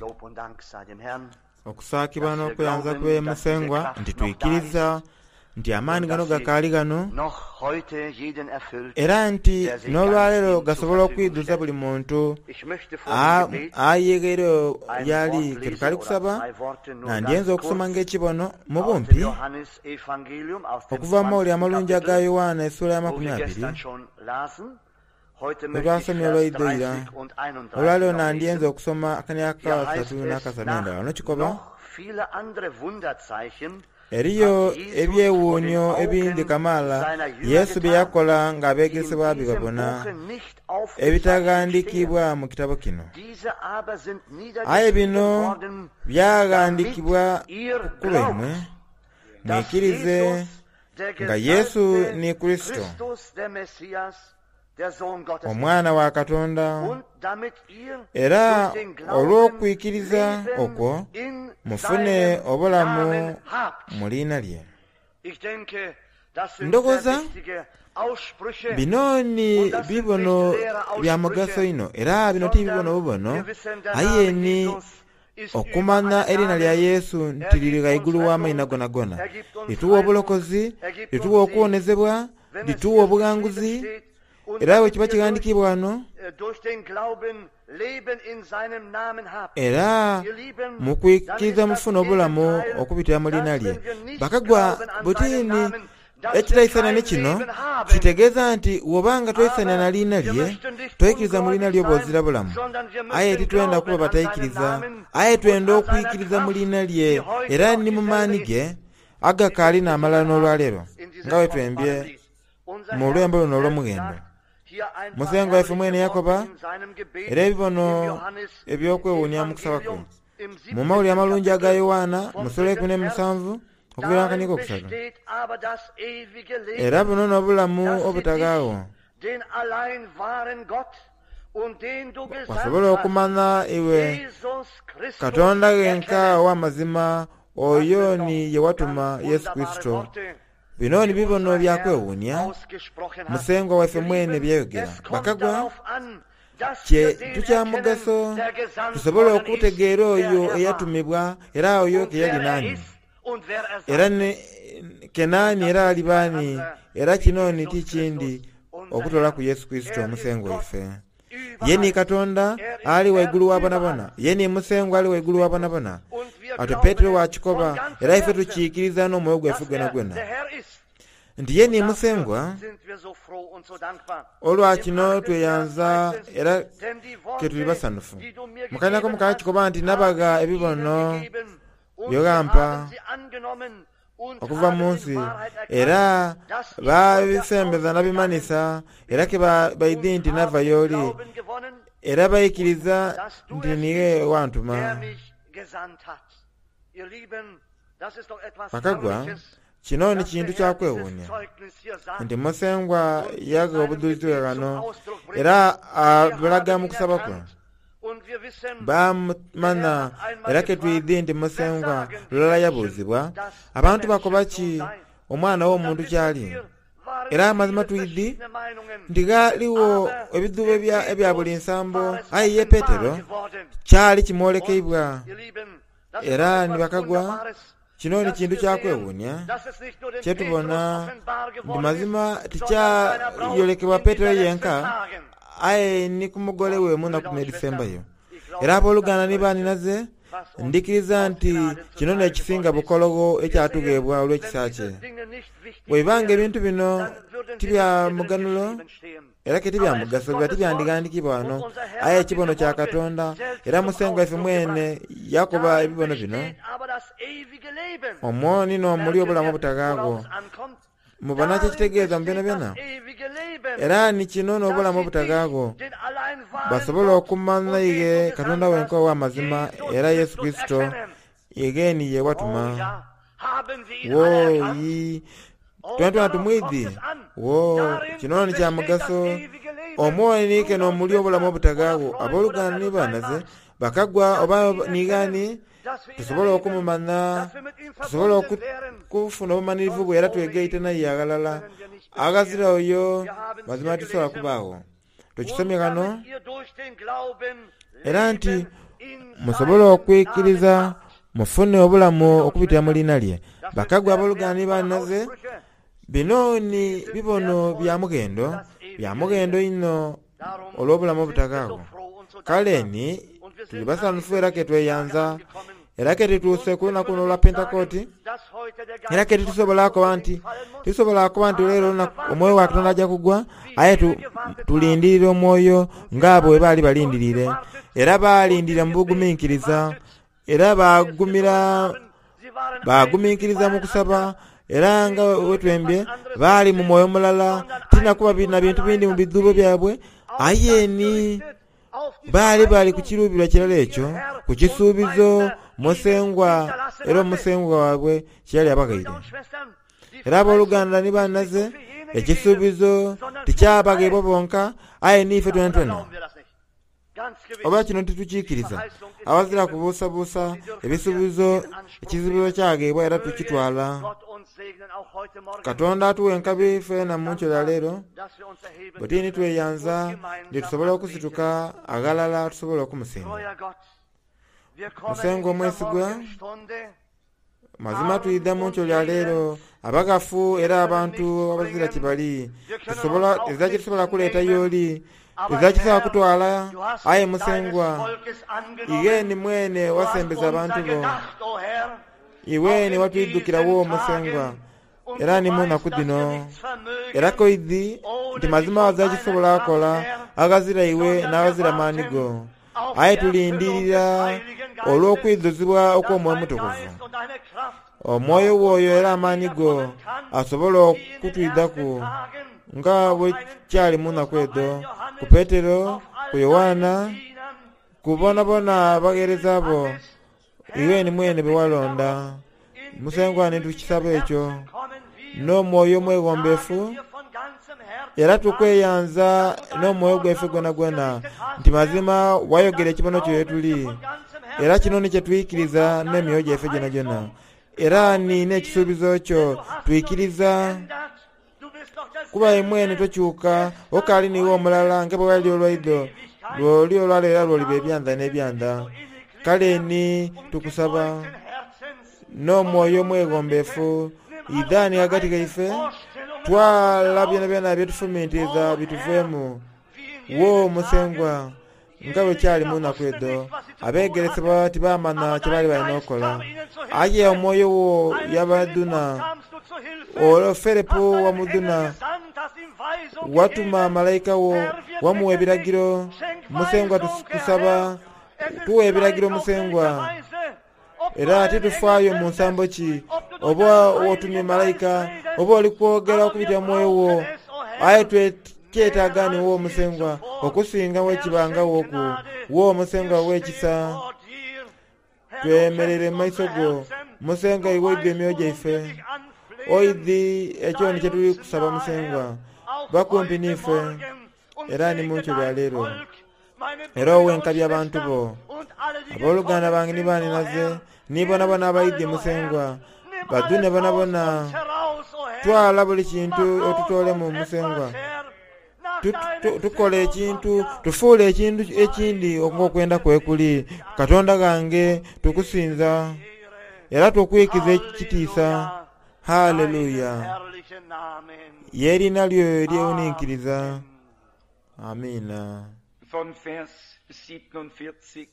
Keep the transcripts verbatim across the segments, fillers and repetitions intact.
Lob und Dank sei dem Herrn, Okusaakibwa dass wir n'okweyanza glauben, kwe dass diese Musengwa Kraft nti noch da ist twikiriza nti amaani und gano dass sie gakaali gano noch heute jeden erfüllt, era nti der sich ganz n'olwaleero ihm zur gasobola Verfügung okwidhuza stellt. buli muntu Ich möchte vor a- dem Gebet ayegeire ein yali Wort lesen ketukali oder kusaba zwei Worte nur nandyenza ganz okusoma kurz ng'ekibono mu aus dem bumpi Johannesevangelium, aus dem okuva mu mawulire zwanzigsten amalungi aga Kapitel, Yowaana essuula ya wo makumi wir abiri gestern schon lasen. Heute bwe möchte ich twasomye Vers olwaidho ira dreißig und einunddreißig olwaleero noch nandyenza lesen. okusoma akani Hier aka heißt asatu es, n'akasatu nach n'endala nokikoba noch viele andere Wunderzeichen eriyo hat Jesus vor den ebyewuunyo ebindi Augen kamaala seiner Jünger Yesu bye getan, yakola die in ng'abeegeresebwa bye diesem babona Buche nicht aufgezeichnet stehen. ebitaghandiikibwa mu kitabo kino Diese aber sind aye niedergeschrieben bino worden, damit byaghandiikibwa ihr ku lwaimwe glaubt, dass mwikirize Jesus, der nga Yesu gesalbte ni Kristo Christus, der Messias, der Sohn Gottes ist. omwana wa Katonda Und damit ihr era durch den Glauben olw'okwikiriza Leben okwo in mufune seinem obulamu Namen habt. mu liina lye Ich denke, das sind sehr Ndowooza wichtige Aussprüche bino ni und das sind nicht bibono leere bya mugaso Aussprüche, ino era bino ti bibono sondern bubono wir wissen, der aye Name ni Jesus ist über okumanya alle erina lya Namen. Yesu Er nti liri gibt uns ghaigulu w'amaina Rettung, gonagona er gibt uns lituwa Heilung, obulokozi er gibt lituwa uns Sieg. okuwonezebwa Wenn es lituwa hier geschrieben obughanguzi steht, und era bwe damit kiba ihr durch, kighandiikibwa wano äh, durch den Glauben Leben in seinem Namen habt. era Ihr Lieben, mu dann kwikiriza ist das mufuna obulamu Gegenteil, okubitira mu liina dass lye wenn wir nicht bakagwa glauben an seinen butini Namen, dass wir ekitayisana ne kein kino Leben haben. kitegeeza nti bw'obanga toyisana na Aber liina wir lye möchten nicht toyikiriza mu liina ungläubig lye sein, bw'ozira bulamu sondern wir aye möchten titwenda kuba glauben an seinen batayikiriza Namen aye und twenda an seiner okwikiriza mu Kraft, liina lye die heute era noch ni mu dieselbe maani ist. ge agakaali n'amalala n'olwaleero In nga diesem bwe kostbaren twembye Lied. Unser mu Herr lwembo luno selbst olw'omughendo sagt hier ein paar Musengwa waife mwene herrliche yakoba Worte in seinem Gebet era ebibono im Johannes eby'okwewuunya mu kusaba kwe Evangelium im mu mawulire siebzehnten amalungi aga Kapitel Yowaana vom mu ssuula dritten ekumi Vers. n'emusanvu okuviira Darin akaniiko okusatu besteht aber das ewige era Leben, buno n'obulamu dass sie dich, obutagaawo den allein wahren Gott und den du gesandt wasobola hast, okumanya iwe Jesus Christus, Katonda genka erkennen. ow'amazima Das oyo sind doch ni ye watuma ganz Yesu wunderbare Kristo Worte, bino ni die bibono unser bya Herr kwewuunya ausgesprochen hat. Musengwa waife Ihr mwene Lieben, byeyogera es kommt bakagwa darauf an, dass kye wir den tukya erkennen, mugaso der gesandt tusobole worden ist, okutegeera wer oyo er war eyatumibwa era oyo und ke yali wer er nani ist und wer er era sein ne wird. Und kenaani das era ist ali kein baani anderer era wie kino ni Jesus ti kindi Christus, unser okutola Herr. ku Yesu Kristo Er ist omusengwa Gott waife ye ni über alles. Katonda Er ist ali Herr waigulu wa über bonabona alles. ye ni musengwa ali waigulu wa bonabona Und wir atyo glauben Petero es von wakikoba ganzem era ife Herzen, tukiikiriza n'omwoyo gwaife dass gwena er gwena der Herr ist. nti ye Und ni dafür musengwa sind wir so froh und so dankbar. olwa Im kino achten Vers tweyanza heißt es, era denn die ke tuli Worte, basanufu die du mir mu kalinako gegeben mukala hast, kikoba nti habe nabaga ich ihnen ebibono gegeben, und sie byogampa haben sie angenommen und okuva mu haben in nsi Wahrheit erkannt, era dass ich von dir babisembeza ausgegangen nabimanisa era ke ba- bin baidhi und nti nava haben den y'oli Glauben gewonnen, era bayikiriza dass du nti es niye bist, wantuma der mich gesandt hat. Ihr Lieben, das ist doch etwas bakagwa Herrliches, kino ni dass der kintu Herr kya dieses kwewuunya Zeugnis hier sagt nti musengwa und in yaga seinem obujulizi Gebet zum kano Ausdruck bringt. era Wir abulaga haben mu ihn kusaba kwe erkannt und wir wissen, der bamumanya Herr hat einmal era gefragt, ketwidhi nti wer musengwa sagen die lulala Menschen, yabuuzibwa dass der abantu bakoba Menschensohn ki sei? omwana Und dann w'omuntu wissen kyali wir, waren era amazima viele twidhi verschiedene Meinungen, nti ghaliwo aber ebidhubo dem ebya ebya buli Petrus nsambo war es aye ye offenbar Petero geworden. kyali Und kimwolekeibwa ihr Lieben, das ist doch era ni etwas bakagwa Wunderbares, kino ni dass kintu wir kya sehen, kwewuunya dass es nicht nur dem Petrus kyetubona offenbar nti geworden ist, mazima sondern seiner Braut tikyayolekebwa in Petero dieser letzten yenka Tagen. aye ni ku mugole we Und munaku Brüder und n'edisembayo Schwestern, ich glaube, era das ist das abooluganda ni Größte, baaninaze was uns ndikiriza aus nti Gnaden kino zuteil n'ekisinga geworden ist. bukologo Wir sehen, ekyatugeebwa wenn olw'ekisa diese kye Dinge nicht wichtig bw'ebanga wären, ebintu bino dann würden ti sie bya nicht hier drin muganulo geschrieben stehen. era ke ti bya Aber es ist mugaso biba Gottes Wort tibyandigandikibwa und wano unser Herr aye hat ekibono diese kya Worte Katonda selbst era zum musengwa ife Ausdruck mwene gebracht. yakoba Darin ebibono bino besteht aber das ewige Leben. omwo nino muli Merken obulamu wir, obutagaago worauf es ankommt? mubona Darin kyekitegeeza mu byona besteht byona das ewige Leben, era ni kino dass n'obulamu sie dich, obutagaago den allein wahren basobole Gott okumanya und den ige du Katonda gesandt wenka hast, ow'amazima Jesus era Yesu Christus, Kristo erkennen. yegeeni ye Oh watuma ja, haben wir ihn alle erkannt? wooyi Oh, twena twena darauf kommt tumwidhi es an. wo Darin kino ni kya besteht das mugaso ewige Leben, omwoniike Brüder und n'omuli obulamu Schwestern oder obutagaago Freund oder abooluganda wer ni du sein baanaze magst, bakagwa dass oba wir ihn erkennen, nigaani dass wir ihn tusobole erleben, okumumanya dass wir mit ihm tusobole verbunden wären. okufuna obumanirivu Sonst bwe era ohne twegaite ihn naye aghalala können wir nicht aghazira bestehen. oyo Wir haben es mazima hier tisobola gelesen. kubaagho Und tukisomye kano damit ihr durch den Glauben era nti Leben Musobole okwikiriza mufune obulamu okubitira mu liina lye. Bakagwa abooluganda ni bannaze, bino ni bibono bya mughendo, bya mughendo inho olw'obulamu obutakaagho. Kale ni tuli basanhufu era ke tweyanza, era ke tutuuse ku lunaku luno olwa Pentekooti, era ke titusobola kuba nti tusobola kuba nti leero olunaku omwoyo wa Katonda ajja kugwa, aye tulindirira omwoyo ng'abo bwe baali balindiriire. Era baalindirira mu buguminkiriza, era bagumira baguminkiriza mu kusaba, era nga wetwembye baali mu mwoyo mulala, tinakuba na bintu bindi mu bidhuubo byabwe, aye ni baali bali ku kiruubirwa kirala ekyo, ku kisuubizo Musengwa era omusengwa waabwe kyeyali abaghaire. Era abooluganda ni bannaze, ekisuubizo tikyabagheebwa bonka, aye n'ife twenatwena. Oba kino titukiikiriza, awazira kubuusabuusa ebisuubizo ekisuubizo kyagheebwa era tukitwala. Katonda atuwa enkabi feena mu nkyo ya leero, bwe tuli ni tweyanza nti tusobola okusituka aghalala tusobola okumusinza. Musengwa omwesigwa, mazima twidha mu nkyo lya leero abaghafu era abantu abazira kibali, tusobola ezira kyetusobola kuleeta y'oli, ezira kisobola kutwala, aye Musengwa igheni mwene wasembeza abantu bo, iweni watwidhukirawo Musengwa, era ni mu naku dhino. Era koidhi nti mazima wazira kisobola kukola aghazira iwe n'aghazira maani go, aye tulindirira olw'okwidhuzibwa okw'Omwoyo Omutukuvu. Omwoyo woyo era amaani go asobola okutwidhaku nga bwe kyali mu naku edho, ku Petero, ku Yoanna, ku bonabona abagheereza bo, iweni mwene be walonda. Musengwa ni tukisaba ekyo n'omwoyo omweghombefu, era tukweyanza n'omwoyo gwaife gwonagwona nti mazima wayogera ekibono kyo yetuli, era kino ni kyetwikiriza n'emyoyo gyaife gyonagyona. Era ni n'ekisuubizo kyo twikiriza, kuba imwene tokyuka okaali niiwe omulala nga bwe wali olwaidho, lw'oli olwaleero era lw'oliba ebyanda n'ebyanda. Kale ni tukusaba n'omwoyo omweghombefu idhani ghagati ghaife, twala byonabyona byetufumiitiriza bituveemu. Wo Musengwa, nga bwe kyali mu naku edho, abeegeresebwa tibamanya kye baali balina okukola, aye omwoyo wo yabadhuna, olwo Filipo wamudhuna, watuma malaika wo wamuwa ebiragiro. Musengwa tukusaba tuwa ebiragiro Musengwa, era titufaayo mu nsambo ki oba otumye malaika oba oli kwogera okubitira mu mwoyo wo, aye kyetaaga ni wo Musengwa okusinga wekibangaghoku. Wo Musengwa ow'ekisa, twemerere mu maiso go. Musengwa iwe oidhi emyoyo gyaife, oidhi ekyo ni kyetuli kusaba Musengwa. Bakumpi n'ife era ni mu nkyo lya leero, era owe enkabi abantu bo, abooluganda bange ni baninaze, ni bonabona abaidhi Musengwa, badhune bonabona. Twala buli kintu otutoolemu Musengwa, tukola ekintu, tufuule ekintu ekindi ng'okwenda kwe kuli. Katonda ghange tukusinza era tukwikiza ekitiisa. Haleluya! Ye eriina lyo eryewuninkiriza. Amiina. Von Vers siebenundvierzig.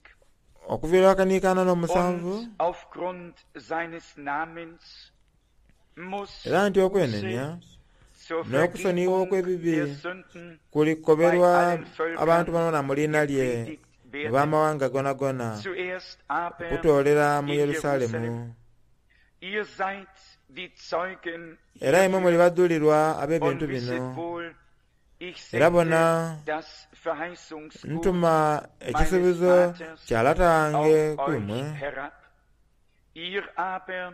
Okuviira akaniikaana n'omusanvu, Und aufgrund seines Namens muss era nti okwenenya zur n'okusonyiwa Vergebung okw'ebibi der Sünden bei kulikoberwa allen Völkern abantu banona mu liina lye gepredigt mu werden. b'amawanga gonagona, Zuerst aber okutoolera mu in Yerusalemu. Jerusalem. Ihr seid die Zeugen Era imwe muli hierfür badhulirwa ab'ebintu und wisset bino. wohl, ich Era bona sende das Verheißungsgut ntuma meines ekisuubizo Vaters kya lata wange auf ku euch imwe, herab. Ihr aber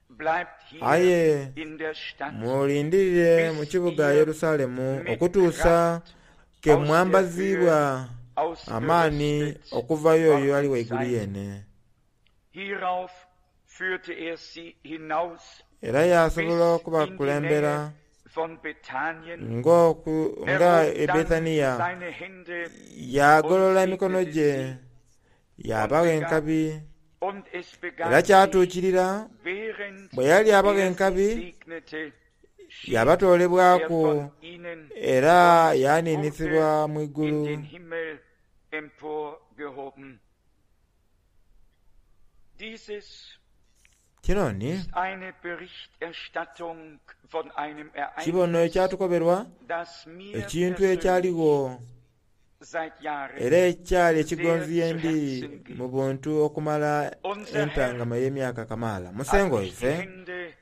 bleibt hier aye in der Stadt, mulindirire mu bis kibuga ihr Yerusalemu mit okutuusa Kraft ke aus der Höhe mwambaziibwa amaani ausgerüstet okuvayo oyo ali worden waigulu seid. yene. Hierauf führte er sie hinaus Era yasobola bis in die okubakulembera Nähe von Bethanien. ng'oku Er nga hob e dann Bethaniya, seine Hände und yagolola emikono segnete gye sie. Yabagha enkabi Und es era begab sich, kyatuukirira während bwe yali abagha er sie enkabi segnete, schied er yabatoolebwaku von ihnen era und yaaniinisibwa mu wurde in igulu. den Himmel emporgehoben. Dieses Kino ni ist eine Berichterstattung von einem kibono Ereignis, ekyatukoberwa das mir ekintu persönlich ekyaligho seit Jahren era ekyali ekigonzi sehr zu yendi Herzen geht. mu buntu okumala Unser Herr entangama y'emyaka kamaala. hat Musengo nicht die waife Hände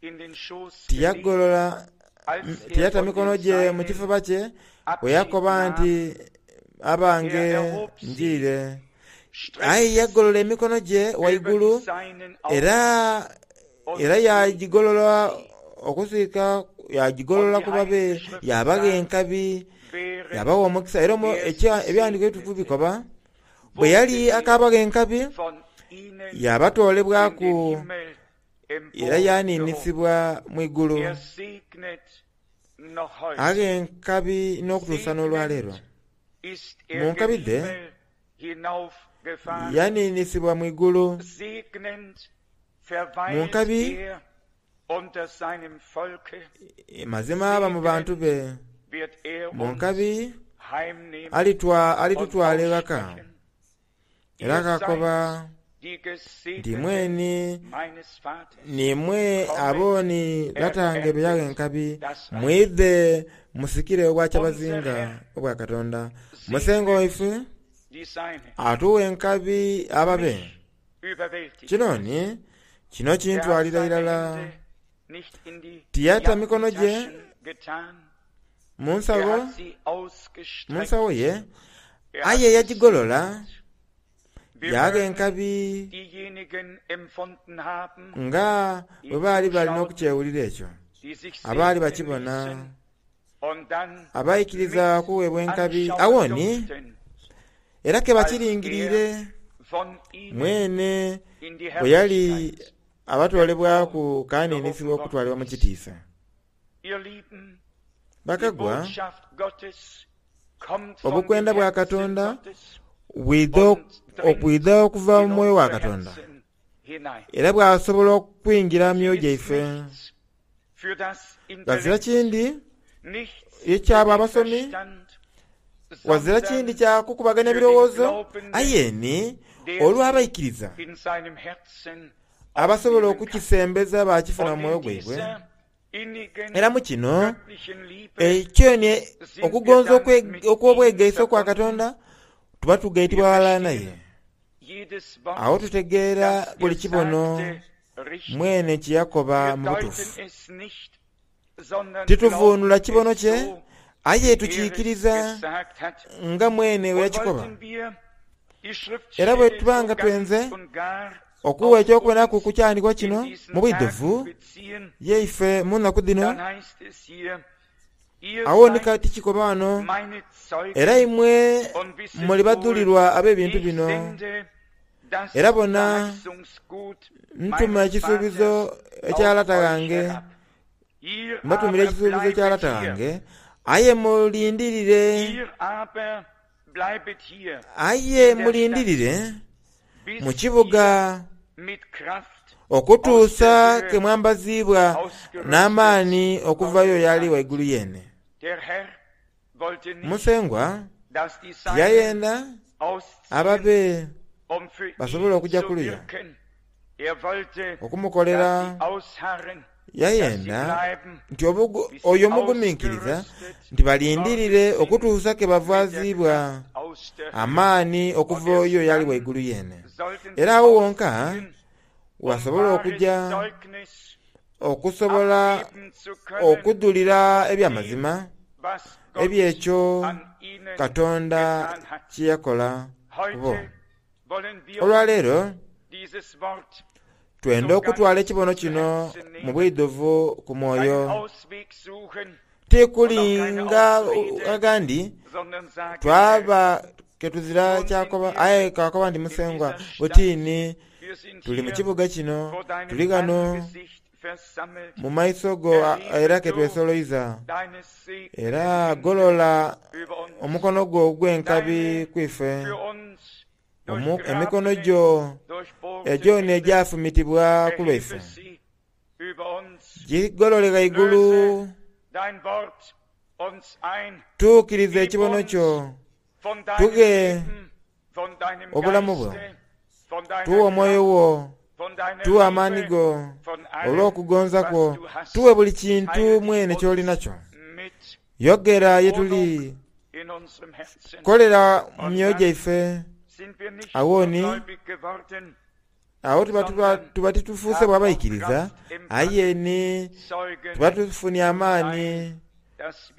in den Schoß gelegt, tiyagolola als m- er tiyata von mikono den gye mu Seinen kifuba kye bwe Abschied yakoba nahm. nti abange Er erhob sie, njiire, aye streckte yagolola emikono gye sie über waigulu die Seinen aus era und era yagigolola segnete sie. okusiika Und yagigolola die ku babe Heilige Schrift yabaga sagt, enkabi während yabawa omukisa era omu- er sie ekya- ebyandiiko ebitukuvu segnete, bikoba bwe yali wurde er akabaga enkabi von ihnen in yabatoolebwaku den Himmel era emporgehoben. yaaniinisibwa mu igulu. Er segnet noch heute. Agha enkabi n'okutuusa n'olwaleero. Segnend ist Mu er nkabi gen dhe Himmel hinaufgefahren. yaniinisibwa mu igulu. Segnend Mu verweilt nkabi er unter seinem Volke. mazima aba mu bantu Segnend be. wird er Mu uns nkabi heimnehmen alitwa und alitutwala ewaka aussprechen. era Ihr seid akakoba die nti Gesegneten mweni meines Vaters. nimwe Kommet, abooni latange be yawa ererbet enkabi das Reich. mwidhe musikire Unser obwakyabazinga Herr obwa Katonda. Musengo segnet waife die Seinen. atuwa enkabi ababe. Mich überwältigt Kino es. ni kino Er hat kintwalira seine irala. Hände nicht in die Tiyata mikono gye Jackentaschen getan. mu Er nsawo hat sie mu ausgestreckt. nsawo ye Er hat aye yagigolola gesegnet. Wir yaga mögen enkabi diejenigen empfunden haben, nga die bwe baali balina zuschauten, okukyewulira ekyo die sich abaali segnen bakibona ließen und dann abayikiriza mit okuweebwa enkabi anschauen awoni durften, era ke als er bakiringirire von ihnen mwene in die bwe yali Herrlichkeit abatoolebwaku kaaniinisibwa emporgehoben worden okutwalibwa mu ist. kitiisa. Ihr Lieben, die Bakagwa Botschaft Gottes kommt von dem obukwenda bwa Herzen Katonda Gottes bwidha und dringt okwidha okuva mu in mwoyo wa unsere Katonda Herzen hinein. era bw'asobola okuyingira mu Sie myoyo ist gyaife. nichts für das Ghazira Intellekt, kindi nichts für ekyabo den abasomi Verstand, wazira sondern kindi kyakukubaganya für den birowoozo Glaubenden, aye ni der sie olw'abaikiriza in seinem Herzen abasobola aufnehmen kann. okukisembeza bakifuna mu Und mwoyo in gwaibwe. dieser innigen Era mu kino göttlichen Liebe ekyo ni sind wir okugonza dann okwe- mit ihm okw'obwegeisa okwa verbunden. Katonda tuba Wir tugaitibwa ghalala naye. verstehen jedes Awo Wort, tutegeera das buli er kibono sagte, richtig. mwene kye yakoba Wir mu deuten butuufu. es nicht, sondern Tituvuunula glauben kibono es kye so, aye wie er es tukiikiriza gesagt hat. nga mwene bwe Und yakikoba. wollten wir die Era bwe Schriftstelle tuba so nga ganz twenze und gar okuwa auf ekyokubonaku uns ku kyandikwa in kino diesen mu bwidhuvu Tagen beziehen, yeife mu nnaku dhino dann heißt es hier, ihr awo ni seid kati kikoba wano meine era Zeugen imwe und wisset muli wohl, badhulirwa ab'ebintu ich bino. sende das Era bona Verheißungsgut ntuma meines ekisuubizo Vaters ekya auf lata euch ghange herab. Ihr mbatumira aber ekisuubizo ekya bleibet lata hier, ghange aye mulindirire ihr aber bleibet hier aye in der Stadt, mulindirire mu bis kibuga ihr mit Kraft aus der okutuusa ke Höhe mwambaziibwa ausgerüstet n'amaani okuvayo worden y'ali seid. waigulu yeene. Der Herr wollte nicht, Musengwa dass die Seinen tiyayenda ausziehen, ababe um für basobole ihn okujja zu kuluya wirken. Er wollte, dass okumukolera sie ausharren, dass sie yayenda bleiben, nti obugu- bis sie oyo omugumiikiriza ausgerüstet nti worden balindirire sind okutuusa ke mit der bavaziibwa Kraft aus der Höhe. amaani Und okuva erst oyo y'ali dann waigulu yeene. sollten Era sie awo wonka ausziehen, um wasobola wahres okujja Zeugnis okusobola abgeben zu können okudulira von dem, ebyamazima was Gott ebyekyo an ihnen Katonda getan hat. kye yakola ku bo. Heute wollen wir uns Olwaleero dieses Wort twenda so okutwala ganz ekibono zu kino Herzen mu nehmen, bwidhuvu ku keinen mwoyo. Ausweg suchen und auch keine Tikulinga Ausrede, agandi sondern sagen, Herr, twaba ketuzira nun sind kyakoba wir aye kakoba nti in musengwa dieser Stadt, butiini wir sind tuli mu hier kibuga kino vor deinem tuli ghano Angesicht versammelt. mu maiso go a- era Erhebe ke du twesoloiza deine segnenden era Hände golola über uns, omukono gwo ogw'enkabi deine kwife für uns Emikono gyo egyo n'egyafumitibwa ku lwaife gigolole ghaigulu, tuukiriza ekibono kyo, tughe obulamu bwo, tuwe omwoyo wo, tuwe amaani go olw'okugonza kwo, tuwe buli kintu mwene ky'oli nakyo. Yogera ye tuli, kolera mu myoyo gyaife. Awo ni awo tuba tuba tuba titufuuse bwabaikiriza, aye ni tuba tufunye amaani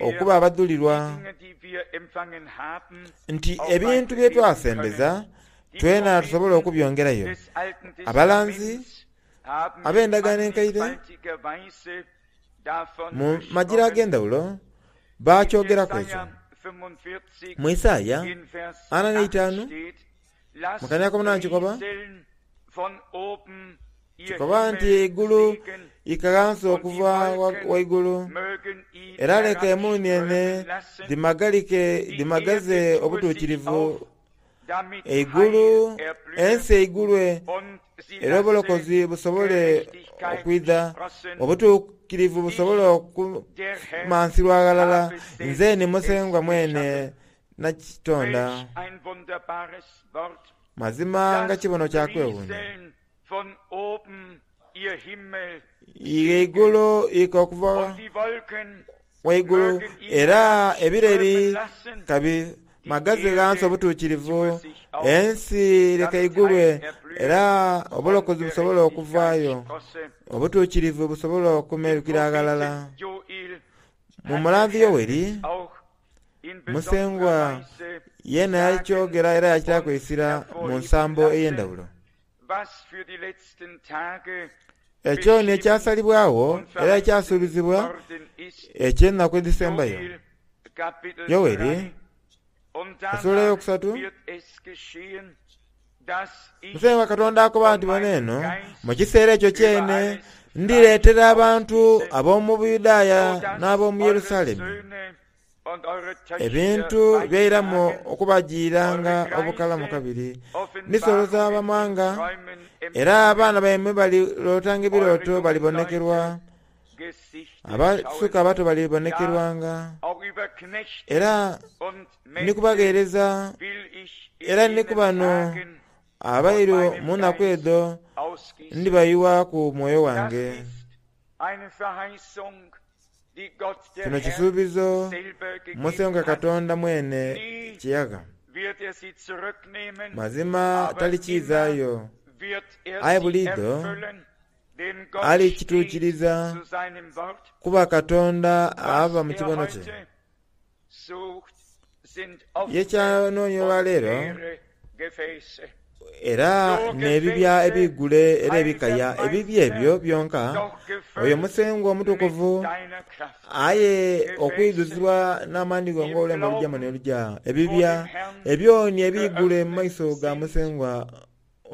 okuba abadhulirwa nti ebintu bye twasembeza twena tusobola okubyongerayo. Abalanzi ab'endagaano enkaire mu magira ag'endhawulo bakyogeraku ekyo. Mu Isaaya ana n'eitaanu mu kanya ak'omunaana kikoba kikoba nti eigulu ika ghansi okuva ghaigulu, era leka emuuniene dhimagalike dhimagaze obutuukirivu. Eigulu ensi eigulwe era obulokozi busobole okwidha, obutuukirivu busobole okumansirwa ghalala. Nze ni Musengwa mwene nakitonda. Mazima nga kibono kya kwewuunia. Eigulu ika okuva ghaigulu, era ebireri kabi magaze ghansi obutuukirivu. Ensi leka eigulwe era obulokozi busobole okuvaayo, obutuukirivu busobole okumerukira ghalala. Mu mulanzi Yoweri, Musengwa yeena yakyogera era yakitaaku eisira mu nsambo ey'endhawulo. Ekyo ni ekyasalibwagho era ekyasuubizibwa eky'enaku edhisembayo. Yoweri esula eyokusatu, Musengwa Katonda akoba nti bona eno, mu kiseera ekyo kyene ndireetera abantu ab'omu Buyudaaya n'ab'omu Yerusalemu ebintu byairamu okubajiiranga obukalamu kabiri. Ndisoloza abamawanga, era abaana baimwe balirootanga ebirooto balibonekerwa, abasuka abato balibonekerwanga, era ndi kubagheereza, era ni ku bano abairu mu nnaku edho ndibayiwaku mwoyo wange. Kino kisuubizo Musengwa Katonda mwene kye yagha. Mazima talikiizaayo, aye buliidho alikituukiriza, kuba Katonda aba mu kibono kye. Ye kyanoonia olwaleero era n'ebibya ebigule era ebikaya, ebibya ebyo byonka oyo Musengwa Omutukuvu aye okwidhuzibwa n'amaani go ng'olulembe olujamu n'oluja, ebibya ebyoni ebigule mu maiso ga Musengwa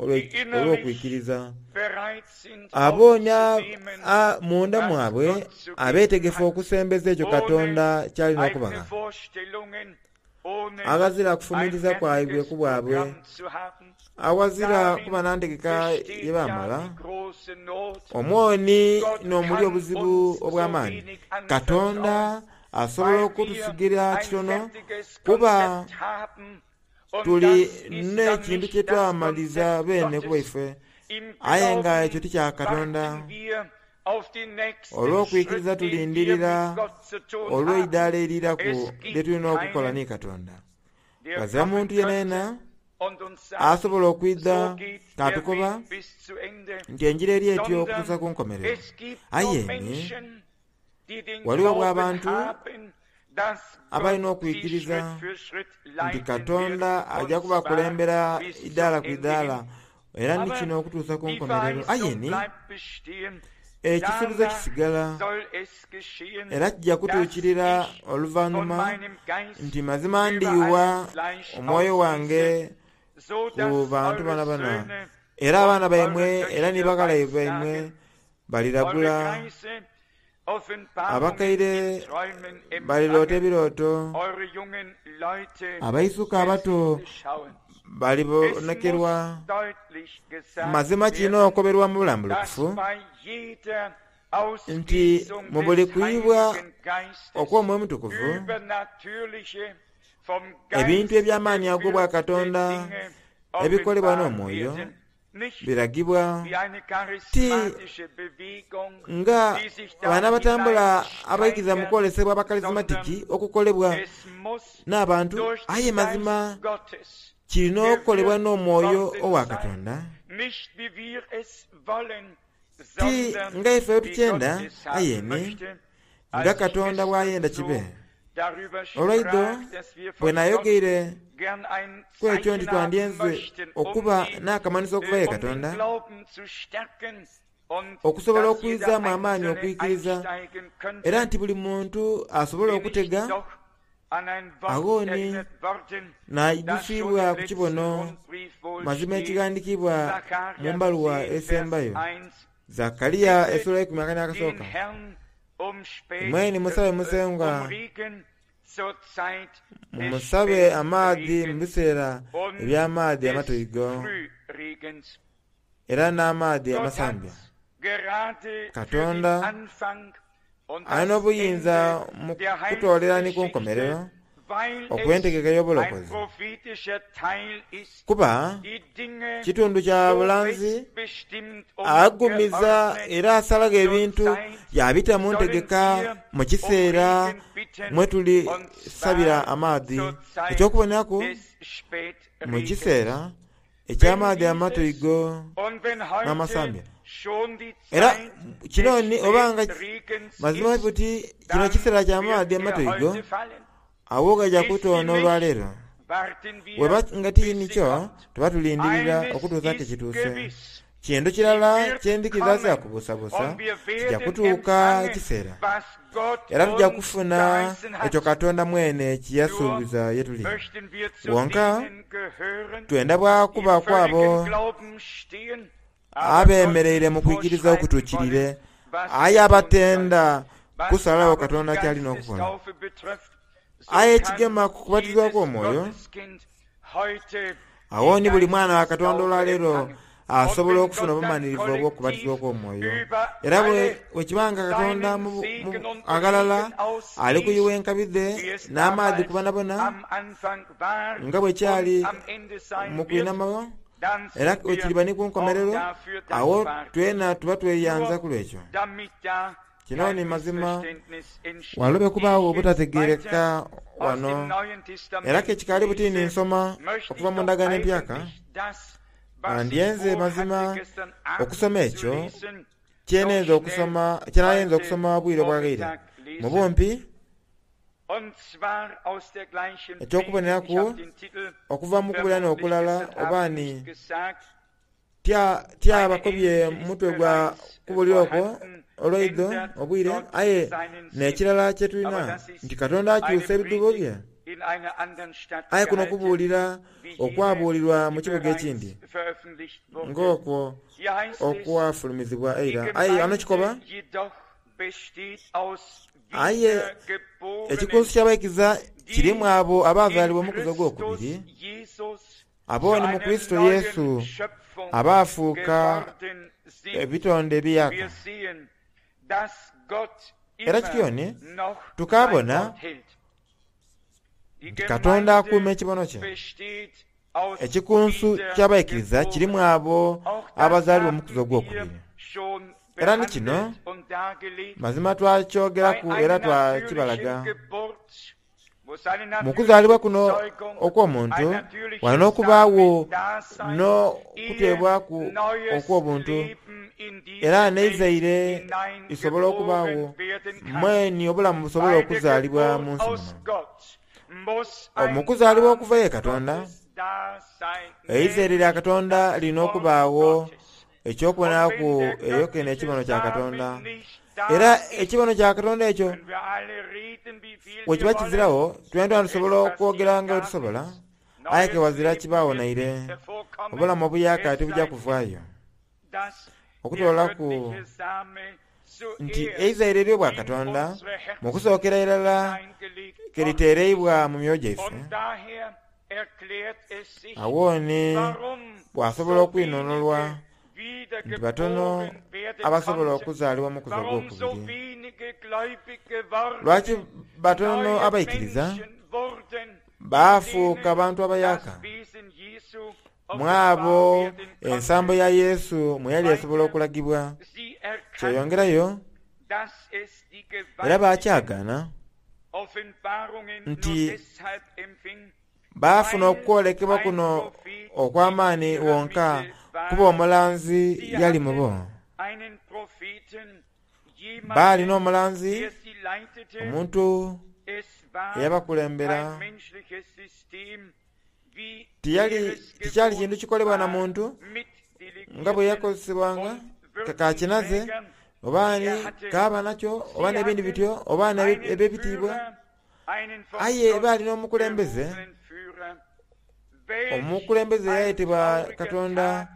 olw'okwikiriza. Abo ni munda mwabwe abeetegefu okusembeza ekyo Katonda ky'alina okubagha, aghazira kufumiriza kwaibwe ku bwabwe, aghazira kuba na ntegeka ye baamala. Omwoni n'omuli obuzibu obw'amaani. Katonda asobola okutusigira kitono kuba tuli n'ekintu kye twamaliza beene ku bwaife, aye nga ekyo ti kya Katonda. Olw'okwikiriza tulindirira olw'eidaala eriraku lye tulina okukola ni Katonda. Ghazira muntu yenayena asobola okwidha katukoba nti enjira eri etyo okutuusa ku nkomerero. Aye ni ghaligho bw'abantu abalina okwikiriza nti Katonda aja kubakulembera idaala ku idaala era ni kino okutuusa ku nkomerero. Aye ni ekisuubizo kisigala era kijja kutuukirira oluvanhuma nti mazima ndiyuwa omwoyo wange ku bantu boonaboona, era abaana baimwe era ni baghala baimwe baliragula, abakaire baliroota ebirooto, abaisuka abato Balibonekerwa. Mazima kino okoberwa mu bulambulukufu nti mu buli kuyibwa okw'Omwoyo Mutukuvu ebintu eby'amaanyi ag'obwakatonda ebikolebwa n'omwoyo biragibwa ti nga bano abatambula abaikiriza mu kwolesebwa abakarismatiki okukolebwa n'abantu, aye mazima kirina okukolebwa n'omwoyo owa Katonda, ti nga ife wetukyenda aye ni nga Katonda bw'ayenda kibe. Olwaidho bwe nayogeire ku ekyo nti twandyenze okuba n'akamanhiso okuva ye Katonda okusobola okwizaamu amaanyi okwikiriza, era nti buli muntu asobola okutega agho ni naidhusiibwa ku kibono mazima ekighandiikibwa mu mbaluwa esembayo Zakariya esula eikumi akana akasooka. Mweni musabe Musengwa, mumusabe amaadhi mu biseera eby'amaadhi amatoigo era n'amaadhi amasambya. Katonda alina obuyinza mu kutoolera ni ku nkomerero okw'entegeka ey'obulokozi, kuba kitundu kya bulanzi agumiza era asalagho ebintu yabita mu ntegeka mu kiseera mwe tulisabira amaadhi. Eky'okuboneraku mu kiseera eky'amaadhi amatoigo n'amasambya. Era kino ni oba nga mazima buti kino kiseera kya maadhi amatoigo, awo gaja kutoona olwaleero. Weba nga ti nikyo, tuba tulindirira okutuusa ke kituuse. Kintu kirala kyendhikiriza kya kubuusabuusa, kija kutuuka ekiseera era tuja kufuna ekyo Katonda mwene kye yasuubiza ye tuli. Wonka twenda bwa kuba kwabo abemereire mu kwikiriza okutuukirire, aye abatenda kusalagho Katonda ky'alina okukola. Aye ekigema ku kubatizibwa kw'omwoyo, agho ni buli mwana wa Katonda olwaleero asobola okufuna obumanhirivu obw'okubatizibwa okw'omwoyo. Era bwe kiba nga Katonda aghalala ali kuyugha enkabi dhe n'amaadhi ku bonabona, nga bwe kyali mu kwinhama, era bwe kiriba ni ku nkomerero, agho twena tuba tweyanza ku lw'ekyo. Kino ni mazima walobe kubaagho obutategeereka wano. Era ke kikaali buti ni nsoma okuva mu ndagaano empyaka, ndyenze mazima okusoma ekyo kyenenza okusoma, kyenayenza okusoma obwire obwaghaire mu bumpi eky'okuboneraku okuva mu kubulira n'okulala oba ni tyabakobye mutwe gwa kubulira okwo olwaidho obwire, aye n'ekirala kye tulina nti Katonda akyusa ebidhuubo bye. Aye kuno okubuulira okwabuulirwa mu kibuga ekindi ng'okwo okwafulumizibwa eira. Aye ghano kikoba, aye ekikunsu ky'abaikiriza kirimu abo abaazaalibwa omukuzi ogwokubiri, abo ni mu Kurisito Yesu abaafuuka ebitonde ebiyaka. Era kityo ni tukaabona nti Katonda akuuma ekibono kye. Ekikunsu ky'abaikiriza kirimu abo abazaalibwa omukuzi ogwokubiri. Era ni kino mazima twakyogeraku era twakibalaga. Mu kuzaalibwa kuno okw'omuntu wano n'okubaagho n'okuteebwaku okw'obuntu, era n'eizaire lisobola okubaagho mweni obulamu busobola okuzaalibwa mu nsi muno. Mu kuzaalibwa okuva ye Katonda, eizaire lya Katonda lirina okubaagho eky'okuboneraku eyo kene ekibono kya Katonda. Era ekibono kya Katonda ekyo bwe kiba kiziragho, twena twena tusobola okwogera nga bwe tusobola, aye ke wazira kibaagho naire. Obulamu obuyaka tibuja kuvaayo okutoolaku nti eizaire ery'obwakatonda mu kusookera irala ke liteereibwa mu myoyo gyaife. Awooni bw'asobola okwinonolwa nti batono abasobola okuzaalibwa mu kuza ogwokubiri. Lwaki batono abaikiriza baafuuka bantu abayaka mwabo ensambo ya Yesu mwe yali esobola okulagibwa. Kyeyongerayo era bakyagaana nti baafuna okwolekebwa kuno okw'amaani wonka kuba omulanzi yali mubo. Baalina omulanzi, omuntu eyabakulembera. Tiyali tikyali kintu kikolebwa na muntu nga bwe yakozesebwanga kakinaze oba ni kaaba nakyo oba n'ebindi bityo oba eb'ebitiibwa, aye baalina omukulembeze. Omukulembeze yayetebwa Katonda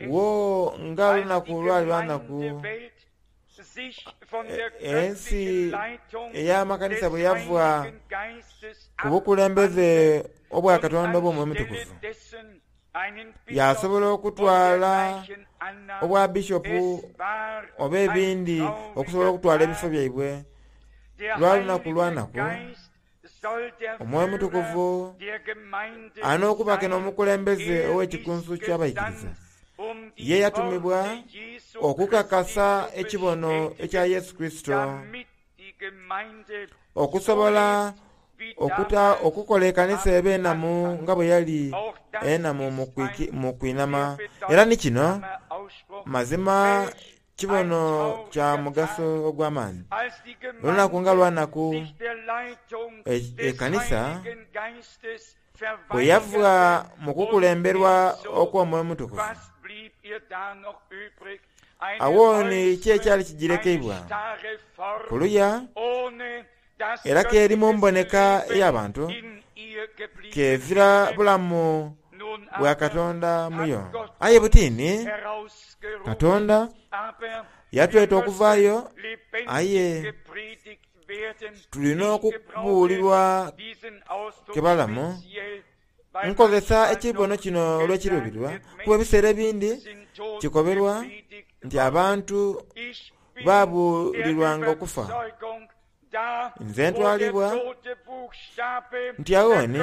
wo nga olunaku lwali lwanaku. Ensi ey'amakanisa bwe yava ku bukulembeze obwa Katonda obw'Omwoyo Omutukuvu, yasobola okutwala obwa bishopu oba ebindi okusobola okutwala ebifo byaibwe. Lwa lunaku lwanaku Omwoyo Omutukuvu alina okuba ke n'omukulembeze ow'ekikunsu ky'abaikiriza. Ye yatumibwa okukakasa ekibono ekya Yesu Kristo, okusobola okuta okukola ekanisa ebe enamu nga bwe yali enamu mu kwinama. Era ni kino mazima kibono kya mugaso ogw'amaani. Olunaku nga lwanaku ekanisa bwe yava mu kukulemberwa okw'Omwoyo Omutukuvu, awooni ki ekyali kigirekeibwa kuluya era keri mu mboneka ey'abantu kezira bulamu bwa Katonda muyo. Aye butini Katonda yatweta okuvaayo, aye tulina okubuulirwa kebalamu. Nkozesa ekibono kino olw'ekiruubirirwa kuba ebiseera ebindi kikoberwa nti abantu babuulirwanga okufa. Nze ntwalibwa nti awooni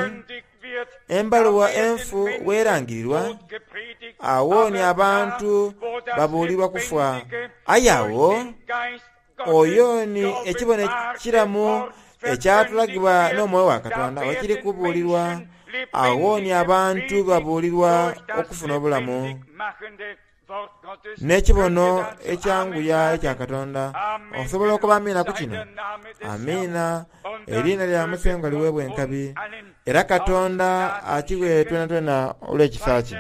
embaluwa enfu weerangirirwa, awooni abantu babuulirwa kufa. Aye awo oyo ni ekibono ekiramu ekyatulagibwa n'Omwoyo wa Katonda wekiri kubuulirwa, awooni abantu babuulirwa okufuna obulamu n'ekibono ekyanguya ekya Katonda. Osobola okuba amiina ku kino? Amiina. Eriina lya Musengwa liweebwa enkabi, era Katonda akiwe twenatwena olw'ekisa kye.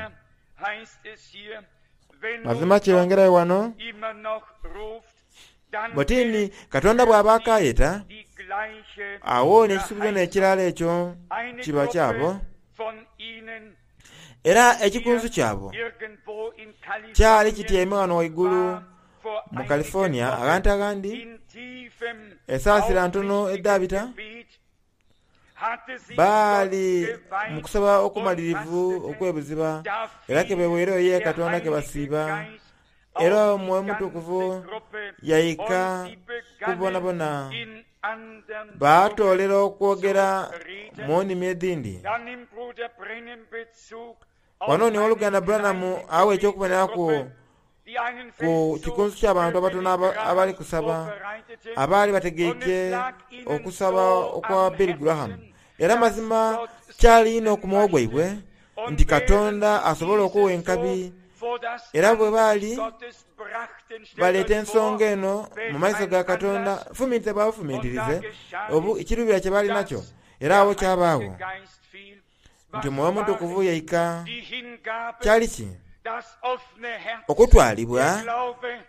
Mazima kyeyongerayo wano butini Katonda bw'aba akayeta, awooni ekisuubizo n'ekirala ekyo kiba kyabo, era ekikunsu kyabo kyali kityaime wano waigulu mu California aghantu aghandi esaasira ntono edhabita baali mu kusaba okumalirivu okwebuziba, era kebeweereyo ye Katonda kebasiiba, era Omwoyo Omutukuvu yaika kubonabona. Baatoolera okwogera mu nnimi edhindi. Wano ni oluganda Branham awa eky'okuboneraku ku kikunsu ky'abantu abatono abali kusaba, abaali bategeike okusaba okwa Billy Graham. Era mazima kyali inho ku mwoyo gwaibwe nti Katonda asobola okuwa enkabi. Era bwe baali baleeta ensonga eno mu maiso ga Katonda, fumintiriza bwa bufumintirize ekiruubirwa kye baali nakyo, era awo kyabaagho nti Omwoyo Omutukuvu yaika. Kyali ki? Okutwalibwa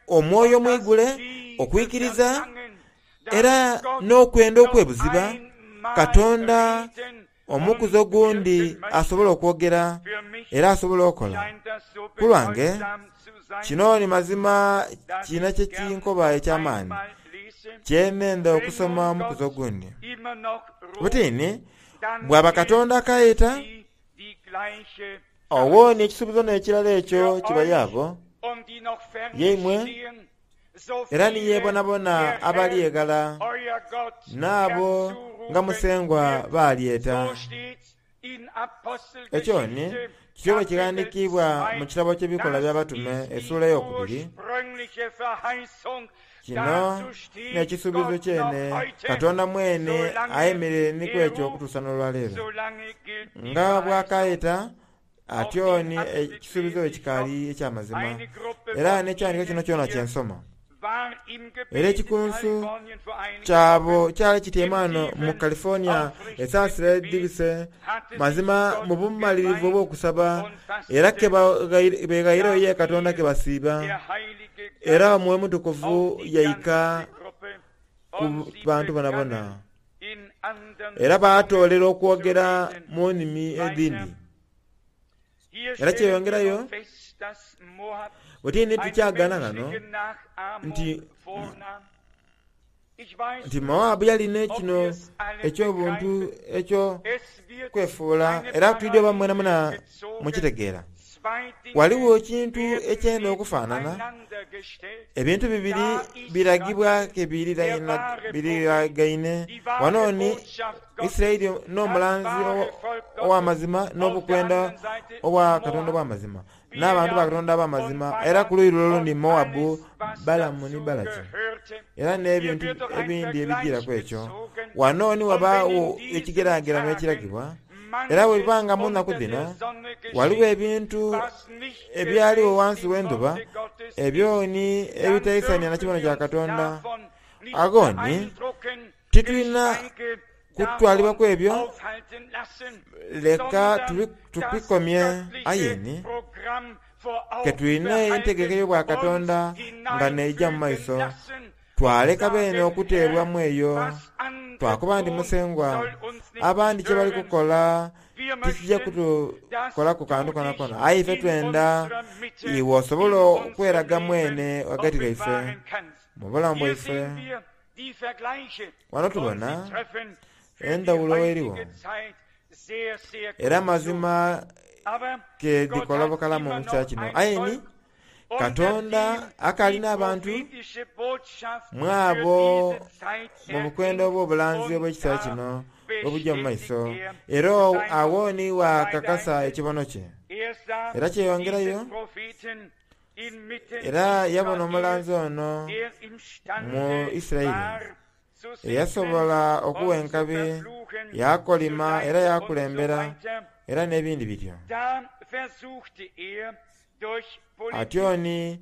omwoyo omwigule, okwikiriza, era n'okwenda okwebuziba Katonda omukuzi ogundi asobola okwogera era asobola okola. Ku lwange kino ni mazima kirina kye kinkoba eky'amaani kyenenda okusoma omukuzi ogundi. Butini Bw'aba Katonda akayeta, owoni ekisuubizo n'ekirala ekyo kibayaabo yeimwe era ni yeebonabona abali eghala n'abo nga Musengwa baalyeta. Ekyo ni kityo bwe kighandiikibwa mu kitabo ky'Ebikolwa by'Abatume essuula eyokubiri. Kino n'ekisuubizo kyene Katonda mwene ayemereire ni ku ekyo okutuusa n'olwaleero. Nga bw'akayeta atyo ni ekisuubizo ekikaali eky'amazima, era n'ekyandiiko kino kyona kye nsoma. Era ekikunsu kyabo kyali kityaime ghano mu California esaasira edhibise, mazima mu bumalirivu obw'okusaba, era ke beghaireyo ye Katonda ke basiiba. Era Omwoyo Mutukuvu yaika ku bantu bonabona, era baatoolera okwogera mu nnimi edhindi. Era kyeyongerayo bwetini tukyagana ghano nti nti Moabu yalina kino eky'obuntu eky'okwefuula, era twidhi oba mwenamwena mukitegeera. Ghaligho ekintu ekyenda okufaanana, ebintu bibiri biragibwa ke biriragaine. Ghano ni Isiraeli n'omulanzi ow'amazima n'obukwenda obwa Katonda obw'amazima, n'abantu ba Katonda ab'amazima, era ku luuyi lule olundi Moabu, Balamu ni Balaki, era n'ebintu ebindi ebijiiraku ekyo. Ghano ni ghabaagho ekigeragerano ekiragibwa. Era bwebanga nga mu nnaku dhino ghaligho ebintu ebyaligho ghansi w'endhuba ebyo ni ebitaisania na kibono kya Katonda, agho ni titulina kutwalibwaku ebyo, leka tubikomye. Aye ni ke tulina entegeka ey'obwakatonda nga n'eija mu maiso, twaleka beene okuteebwamu eyo. Twakoba nti, Musengwa, abandi kye bali kukola tikija kutukolaku kantu konakona, aye ife twenda iwe osobole okweraga mwene ghagati ghaife mu bulamu bwaife. Ghano tubona endhawulo erigho, era amazima ke dhikola bukalamu mu kiseera kino. Aye ni Katonda akaali n'abantu mwabo mu bukwenda obw'obulanzi obw'ekiseera kino obujja mu maiso, era agho ni bwakakasa ekibono kye. Era kyeyongerayo, era yabona omulanzi ono mu Isiraeli eyasobola okuwa enkabi, yaakolima era yaakulembera, era n'ebindi bityo. Atyo ni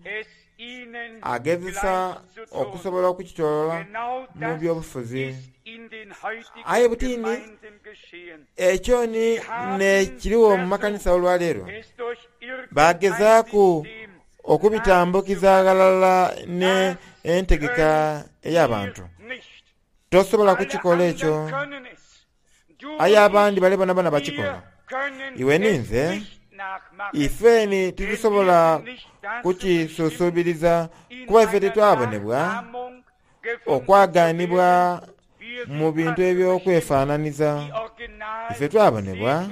agezesa okusobola okukitoola mu by'obufuzi. Aye butini ekyo ni n'ekirigho mu makanisa olwaleero. Bagezaaku okubitambukiza ghalala n'entegeka ey'abantu. Tosobola kukikola ekyo, aye abandi bale bonabona bakikola. Iwe ni nze, ife ni titusobola kukisusuubiriza kuba ife titwabonebwa okwaganibwa mu bintu eby'okwefaananiza. Ife twabonebwa,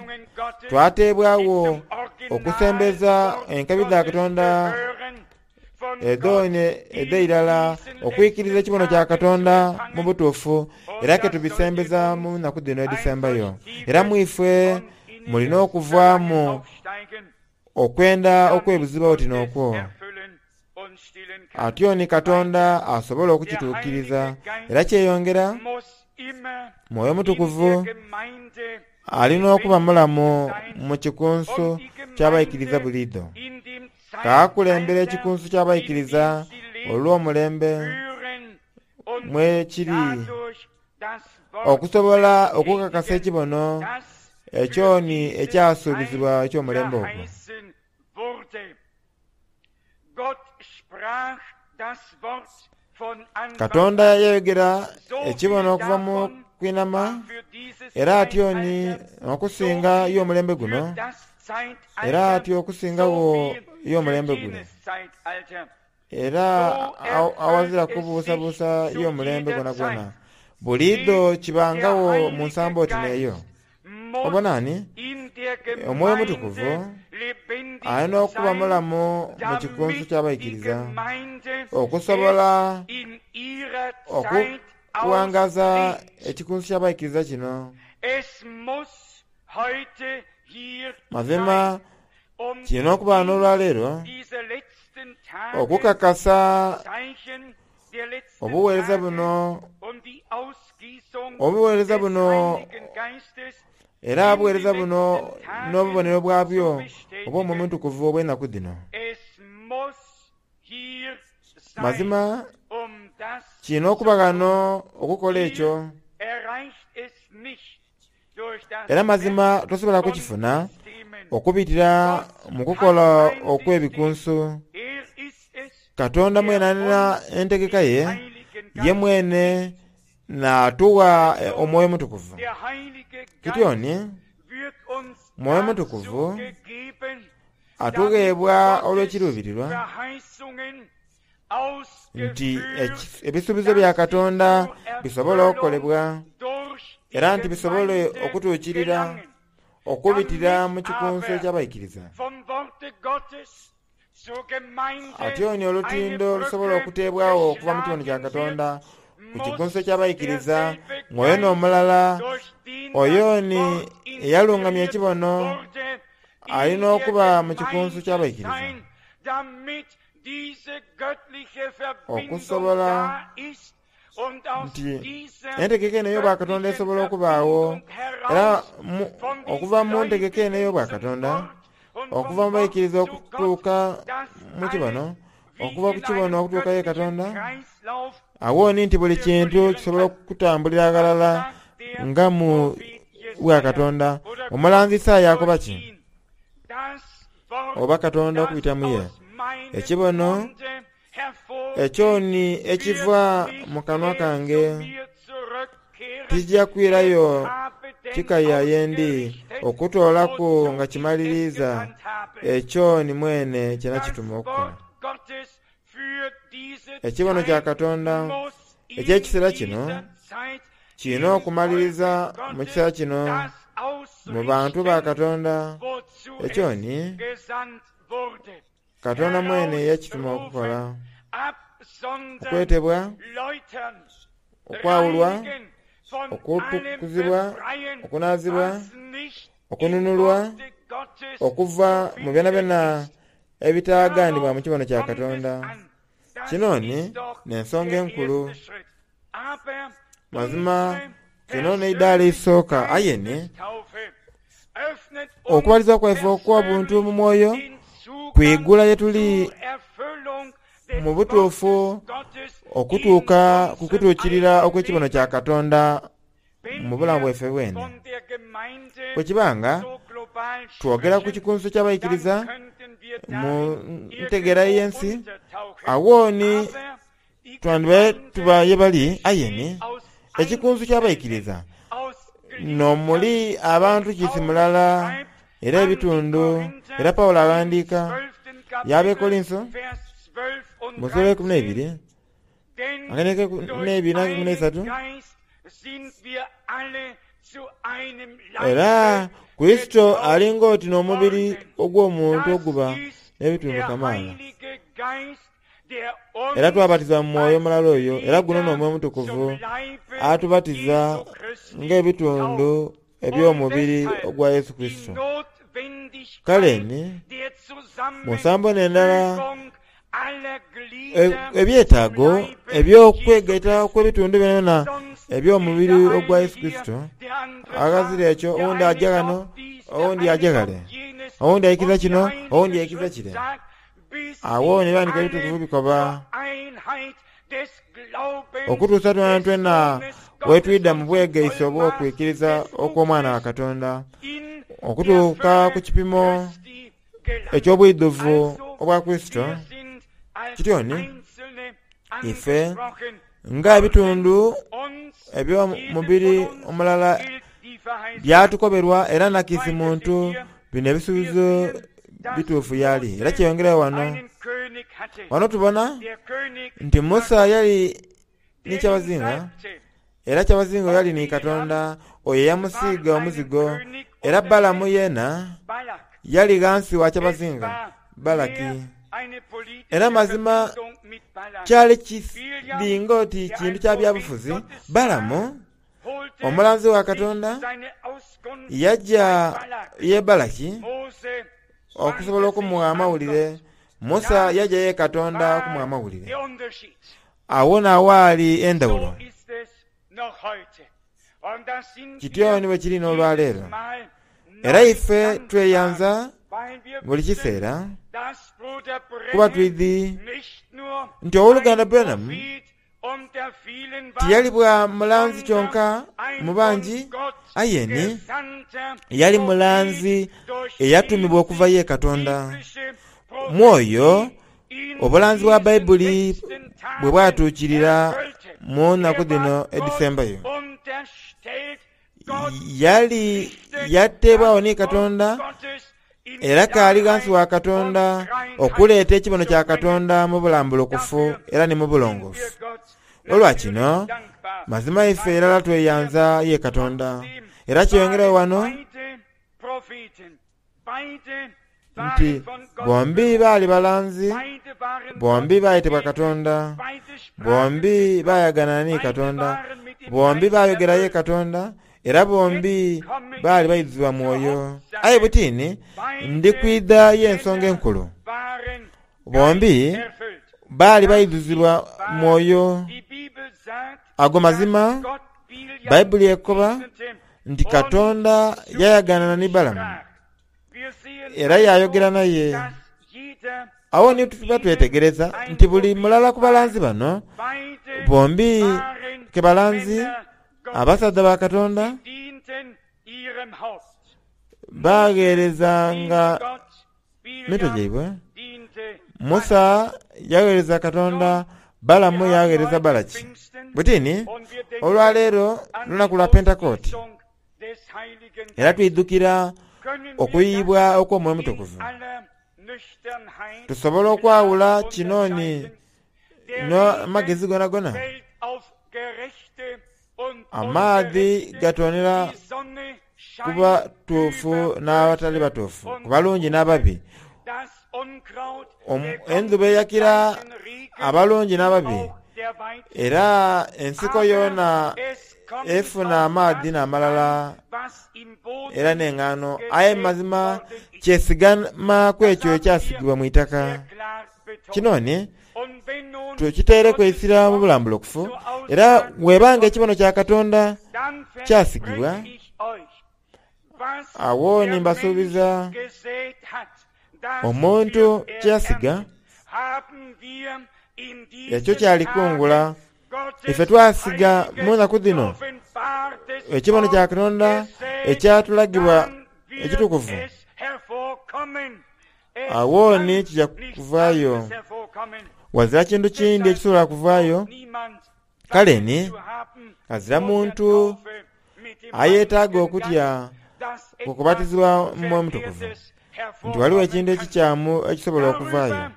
twateebwagho okusembeza enkabi dha Katonda edhoone edh'eirala, okwikiriza ekibono kya Katonda mu butuufu, era ke tubisembeza mu nnaku dhino edhisembayo. Era mu ife mulina okuvaamu okwenda okwebuziba oti n'okwo. Atyo ni Katonda asobola okukituukiriza. Era kyeyongera, Mwoyo Mutukuvu alina okuba mulamu mu kikunsu ky'abaikiriza buliidho. Kaakulembera ekikunsu ky'abaikiriza olw'omulembe mwekiri, okusobola okukakasa ekibono ekyo ni ekyasuubizibwa eky'omulembe ogwo. Katonda yayogera ekibono okuva mu kwinhama, era atyo ni okusinga y'omulembe guno, era atyo okusingagho y'omulembe gule. Era awazira kubuusabuusa y'omulembe gwonagwona. Buliidho kibangagho mu nsambo oti n'eyo. Obona ni Omwoyo Omutukuvu alina okuba mulamu mu kikunsu ky'abaikiriza okusobola okuwangaza ekikunsu ky'abaikiriza kino. Mazima kirina okuba n'olwaleero okukakasa obuweereza buno, obuweereza buno era obuweereza buno n'obubonero bwabyo obw'Omwoyo Omutukuvu obw'enaku dhino. Mazima kirina okuba ghano okukola ekyo, era mazima tosobola kukifuna okubitira mu kukola okw'ebikunsu. Katonda mwene alina entegeka ye, ye mwene n'atugha Omwoyo Omutukuvu. Kityo ni Mwoyo Mutukuvu atugheebwa olw'ekiruubirirwa nti ebisuubizo bya Katonda bisobole okukolebwa era nti bisobole okutuukirira okubitira mu kikunsu eky'abaikiriza. Atyo ni olutindo olusobola okuteebwagho okuva mu kibono kya Katonda ku kikunsu eky'abaikiriza ng'oyo n'omulala oyo ni eyalungamya ekibono alina okuba mu kikunsu ky'abaikiriza okusobola nti entegeka eno ey'obwakatonda esobola okubaagho era okuva mu ntegeka eno ey'obwakatonda okuva mu baikiriza okutuuka mu kibono, okuva ku kibono okutuuka ye Katonda, awo ni nti buli kintu kisobola okutambulira ghalala nga mu bwakatonda. Omulanzi Isaaya akoba ki? Oba Katonda okubita mu ye, ekibono ekyo ni ekiva mu kanwa kange tikija kwirayo kikaya ye ndi okutoolaku nga kimaliriiza ekyo ni mwene kye nakituma okukola. Ekibono kya Katonda eky'ekiseera kino kirina okumaliriza mu kiseera kino mu bantu ba Katonda ekyo ni Katonda mwene yakituma okukola. Okwetebwa, okwawulwa, okutukuzibwa, okunaazibwa, okununulwa okuva mu byonabyona ebitaganibwa mu kibono kya Katonda. Kino ni n'ensonga enkulu. Mazima kino n'eidaala eisooka aye ni okubatiza kwaife okw'obuntu mu mwoyo kwigula ye tuli mu butuufu okutuuka ku kutuukirira okw'ekibono kya Katonda mu bulamu bwaife bwene. Bwe kiba nga twogera ku kikunsu ky'abaikiriza mu ntegeera y'ensi, agho ni twandibaire tuba ye bali aye ni ekikunsu ky'abaikiriza n'omuli abantu kiisi mulala era ebitundu. Era Pawulo aghandiika y'Abekolinso mu sula eikumi n'eibiri akanhiriri n'eibiri n'eikumi n'eisatu era Kurisito ali ng'oti n'omubiri ogw'omuntu oguba n'ebitundu kamaala. Era twabatizibwa mu mwoyo mulala oyo, era guno n'Omwoyo Omutukuvu atubatiza ng'ebitundu eby'omubiri ogwa Yesu Kurisito. Kale ni mu nsambo n'endala ebyetaago eby'okwegaita okw'ebitundu byonabyona eby'omubiri ogwa Yesu Kurisito, aghazira ekyo owundi aja ghano, owundi aja ghale, owundi aikiriza kino, owundi aikiriza kire. Agho ni Ebighandiiko Ebitukuvu bikoba okutuusa twenatwena bwetwidha mu bwegaisi obw'okwikiriza okw'Omwana wa Katonda, okutuuka ku kipimo eky'obwidhuvu obwa Kurisito. Kityo ni ife nga ebitundu eby'omubiri omulala byatukoberwa era na kiisi muntu bino ebisuubizo bituufu y'ali. Era kyeyongerayo ghano. Ghano tubona nti Musa yali ni kyabazinga Era kyabazinga oyo yali ni Katonda oyo eyamusiiga omuzigo. Era Balamu yeena yali ghansi wa kyabazinga Balaki. Era mazima kyali kiringa oti kintu kya byabufuzi. Balamu omulanzi wa Katonda yajja ye Balaki okusobola okumuwa amawulire. Musa yajja ye Katonda okumuwa amawulire. Awo n'awaali endawulo. Kityo ni bwe kiri n'olwaleero. Era ife tweyanza buli kiseera kuba twidhi nti ow'oluganda Branham tiyali bwa mulanzi kyonka mu bangi, aye ni yali mulanzi eyatumibwa okuva ye Katonda. Mwoyo obulanzi bwa Baibuli bwe bwatuukirira mu nnaku dhino edhisembayo. Yali yateebwagho ni Katonda era kaali ghansi wa Katonda okuleeta ekibono kya Katonda mu bulambulukufu era ni mu bulongoofu. Olwa kino mazima ife irala tweyanza ye Katonda. Era kyeyongerayo wano nti bombi baali balanzi, bombi baayetebwa Katonda, bombi baayagana ni Katonda, bombi baayogera ye Katonda, era bombi baali baidhuzibwa mwoyo. Aye butini ndi kwidha y'ensonga enkulu. Bombi baali baidhuzibwa mwoyo. Ago mazima Baibuli ekoba nti Katonda yayaganana ni Balamu era yayogera naye. Awo ni tuba twetegereza nti buli mulala ku balanzi bano bombi ke balanzi abasaadha ba Katonda bagheerezanga mitwe gyaibwe. Musa yagheereza Katonda, Balamu yagheereza Balaki. Butini olwaleero lunaku lwa Pentekooti era twidhukira okuyibwa okw'Omwoyo Omutukuvu. Tusobola okwawula kino ni n'amagezi gonagona. Amaadhi gatonera ku batuufu n'abatali batuufu, ku balungi n'ababi. Endhuba eyakira abalungi n'ababi, era ensiko yoona efuna amaadhi n'amalala era n'engaano. Aye mazima kyesigama ku ekyo ekyasigibwa mu itaka. Kino ni tukiteereku eisira mu bulambulukufu, era bw'ebanga ekibono kya Katonda kyasigibwa, awo ni mbasuubiza omuntu kyeyasiga ekyo kyalikungula. Ife twasiga mu nnaku dhino ekibono kya Katonda ekyatulagibwa ekitukuvu, awo ni kija kuvaayo. Wazira kintu kindi ekisobola kuvaayo. Kale ni azira muntu ayeetaaga okutya ku kubatizibwa mu Mwoyo Omutukuvu nti waliwo ekintu ekikyamu ekisobola okuvaayo.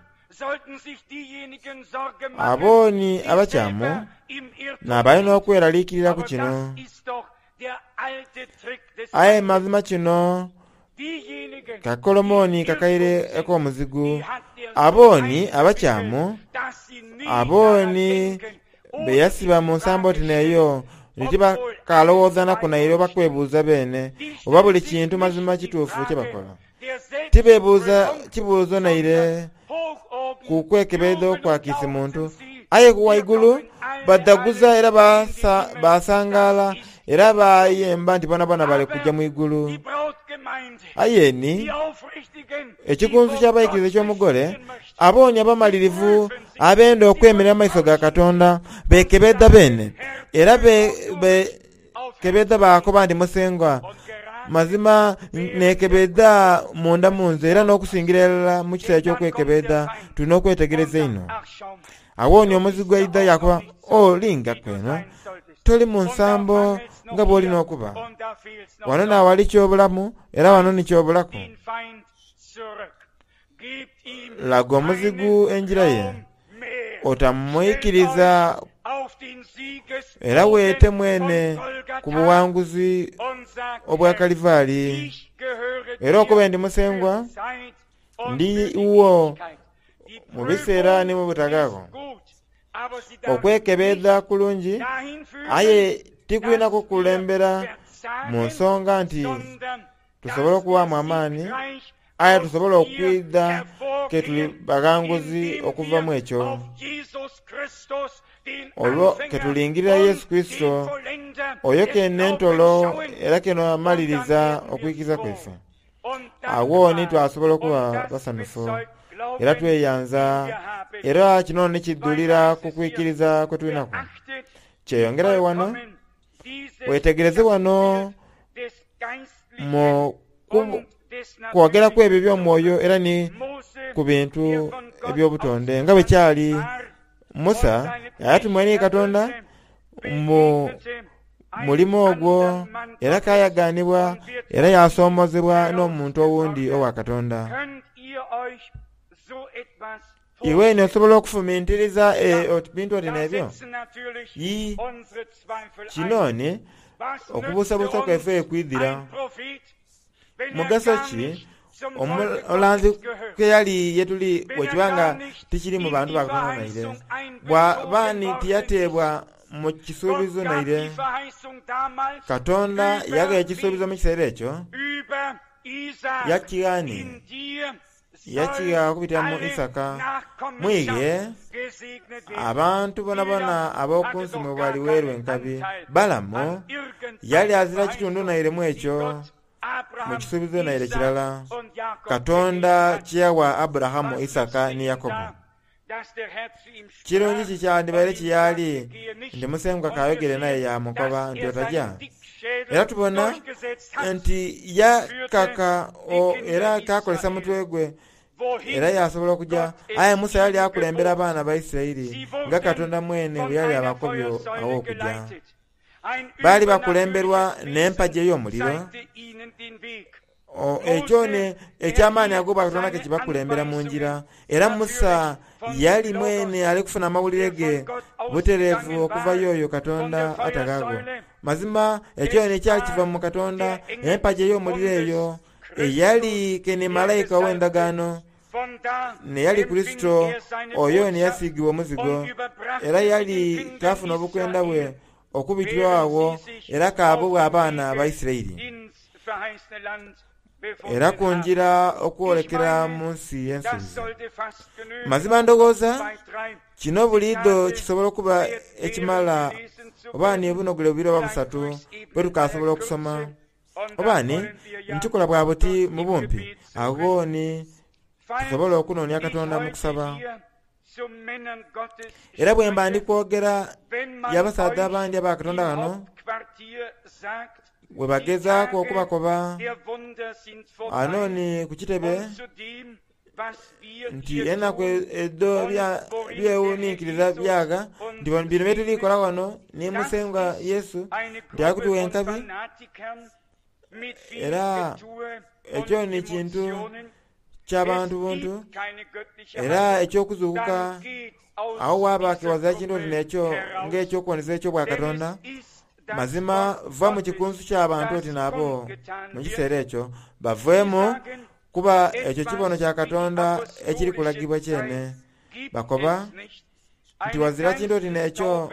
Abo ni abakyamu n'abalina okweraliikirira ku kino. Aye mazima kino kakolomoni kakaire ak'omuzigu. Abo ni abakyamu, abo ni beyasiba mu nsambo oti n'eyo, nti tibakalowoozanaku naire oba kwebuuza beene oba buli kintu mazima kituufu kye bakola. Tibeebuuza kibuuzo naire ku kwekebedha okwa kiisi muntu, aye ku waigulu badhaguza era basangaala era bayemba nti bonabona bali kuja mu igulu. Aye ni ekikunsu ky'abaikiriza eky'omugole, abooni abamalirivu abenda okwemerera mu maiso ga Katonda bekebedha beene era bekebedha baakoba nti Musengwa, mazima nekebedha munda munze era n'okusingira irala mu kiseera eky'okwekebedha tulina okwetegereza einho. Awo ni omuzigu aidha yakoba, o lingaku eno, toli mu nsambo nga bw'olina okuba. Wano n'awali ky'obulamu era wano ni ky'obulaku. Laga omuzigu engira ye, otamwikiriza Era weete mwene ku buwanguzi obwa Kalivaali. Era okuba ndi Musengwa, ndi wo mu biseera ni mu butagaagho. Okwekebedha kulungi, aye tikulina kukulembera mu nsonga nti tusobola okuwaamu amaani, aye tusobola okwidha ke tuli baghanguzi okuva mu ekyo. Olwo ke tulingirira Yesu Kristo, oyo kene entolo era kene amaliriza okwikiriza kwaife. Agho ni twasobola okuba basanhufu era tweyanza, era kino ni kidhulira ku kwikiriza kwe tulinaku. Kyeyongerayo wano, wetegereze wano mu kwogeraku ebyo eby'omwoyo era ni ku bintu eby'obutonde nga bwe kyali Musa yatumwa ni Katonda mu mulimo ogwo era kayaganibwa era yasomozebwa n'omuntu owundi owa Katonda. Iwe eno osobola okufumintiriza bintu oti n'ebyo? Ii, kino ni okubuusabuusa kwaife kwidhira. Mugaso ki omulanzi ke yali yetuli bwekiba nga tikiri mu bantu ba Katonda naire? Bw'aba ni tiyateebwa mu kisuubizo naire. Katonda yagha ekisuubizo mu kiseera ekyo, yakigha ni yakigha okubitira mu Isaka. Mwighe abantu bonabona ab'oku nsi mwe baliweerwa enkabi. Balamu yali azira kitundu naire mu ekyo, mu kisuubizo naire kirala Katonda kye yawa Aburahamu, Isaka ni Yakobo. Kirungi kikyandibaire kiyali nti Musengwa kayogere naye yamukoba nti otajja. Era tubona nti yakaka era kakolesa mutwe gwe era yasobola okuja. Aye Musa yali akulembera abaana ba Isiraeli nga Katonda mwene bwe yali abakobye awo okuja. Baali bakulemberwa n'empagi ey'omuliro. Ekyo eky'amaani ago Katonda ke kibakulembera mu ngira. Era Musa yali mwene ali kufuna amawulire ge butereevu okuva y'oyo Katonda atagaagho. Mazima ekyo ekyali kiva mu Katonda, empagi ey'omuliro eyo eyali kene malayika ow'endagaano, neyali Kurisito oyo neyasiigibwa omuzigo, era yali kafuna obukwenda bwe okubitirwa agho era kaabubwa abaana ba Isiraeli. Era ku ngira okwolekera mu nsi y'ensuubizo. Mazima ndowooza kino buliidho kisobola okuba ekimala oba ni obunogole bubiri oba busatu bwe tukasobola okusoma. Oba ni nkikola bwa buti mu bumpi, agho ni tusobola okunoonia Katonda mu kusaba. Era bwe mba ndi kwogera y'abasaadha abandi aba Katonda ghano, bwe bagezaaku okubakoba ano ni ku kitebe nti enaku edho byewuninkiriza byagha nti bino bye tuli kola wano ni Musengwa Yesu nti akutuwa enkabi. Era ekyo ni kintu ky'abantu buntu, era eky'okuzuukuka awo waba kewazira kintu oti n'ekyo ng'ekyokuwoneza eky'obwa Katonda. Mazima va mu kikunsu ky'abantu oti n'abo mu kiseera ekyo baveemu, kuba ekyo kibono kya Katonda ekiri kulagibwa kyene. Bakoba nti wazira kintu oti n'ekyo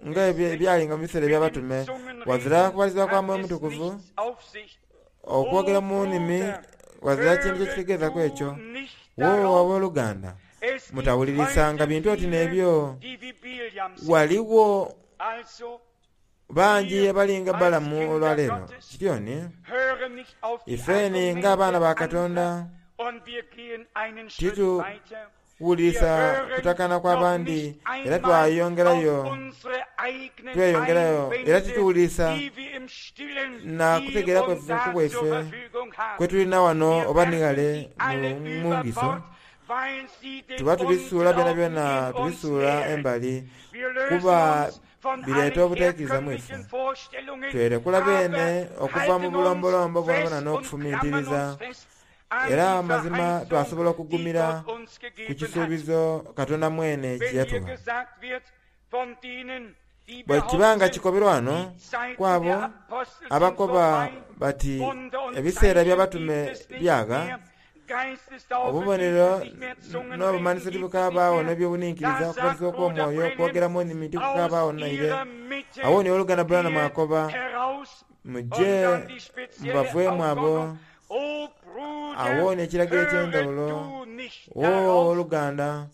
nga ebyalinga mu biseera eby'abatume, wazira kubalizibwa kwa Mwoyo Mutukuvu, okwogera mu nnimi, wazira kintu kyekitegeezaku ekyo. Wo abooluganda, mutawulirisanga bintu oti n'ebyo. Waliwo bangi abalinga Balamu olwaleero. Kityoni ifeni ng'abaana ba Katonda tituwulirisa kutakana kw'abandi, era twayongerayo tweyongerayo era tituwulirisa na kutegeera kwaife ku bwaife kwe tulina wano oba ni ghale mu ngiso. Tuba tubisuula byonabyona, tubisuula embali, kuba bireeta obutaikiriza mu ife. Twerekula beene okuva mu bulombolombo bwonabwona n'okufumintiriza, era mazima twasobola okugumira ku kisuubizo Katonda mwene kye yatuwa. Bwe kibanga kikoberwa wano kwabo abakoba bati ebiseera by'abatume byaga, obubonero n'obumanhiso tibukabaawo n'ebyobuninkiriza, okubatizibwa okw'omwoyo, okwogeramu ennimi tikukabaawo naire. Awo ni oluganda Branham akoba, muje mubaveemu abo. Awo ni ekiragiro eky'endawulo. Wo oluganda,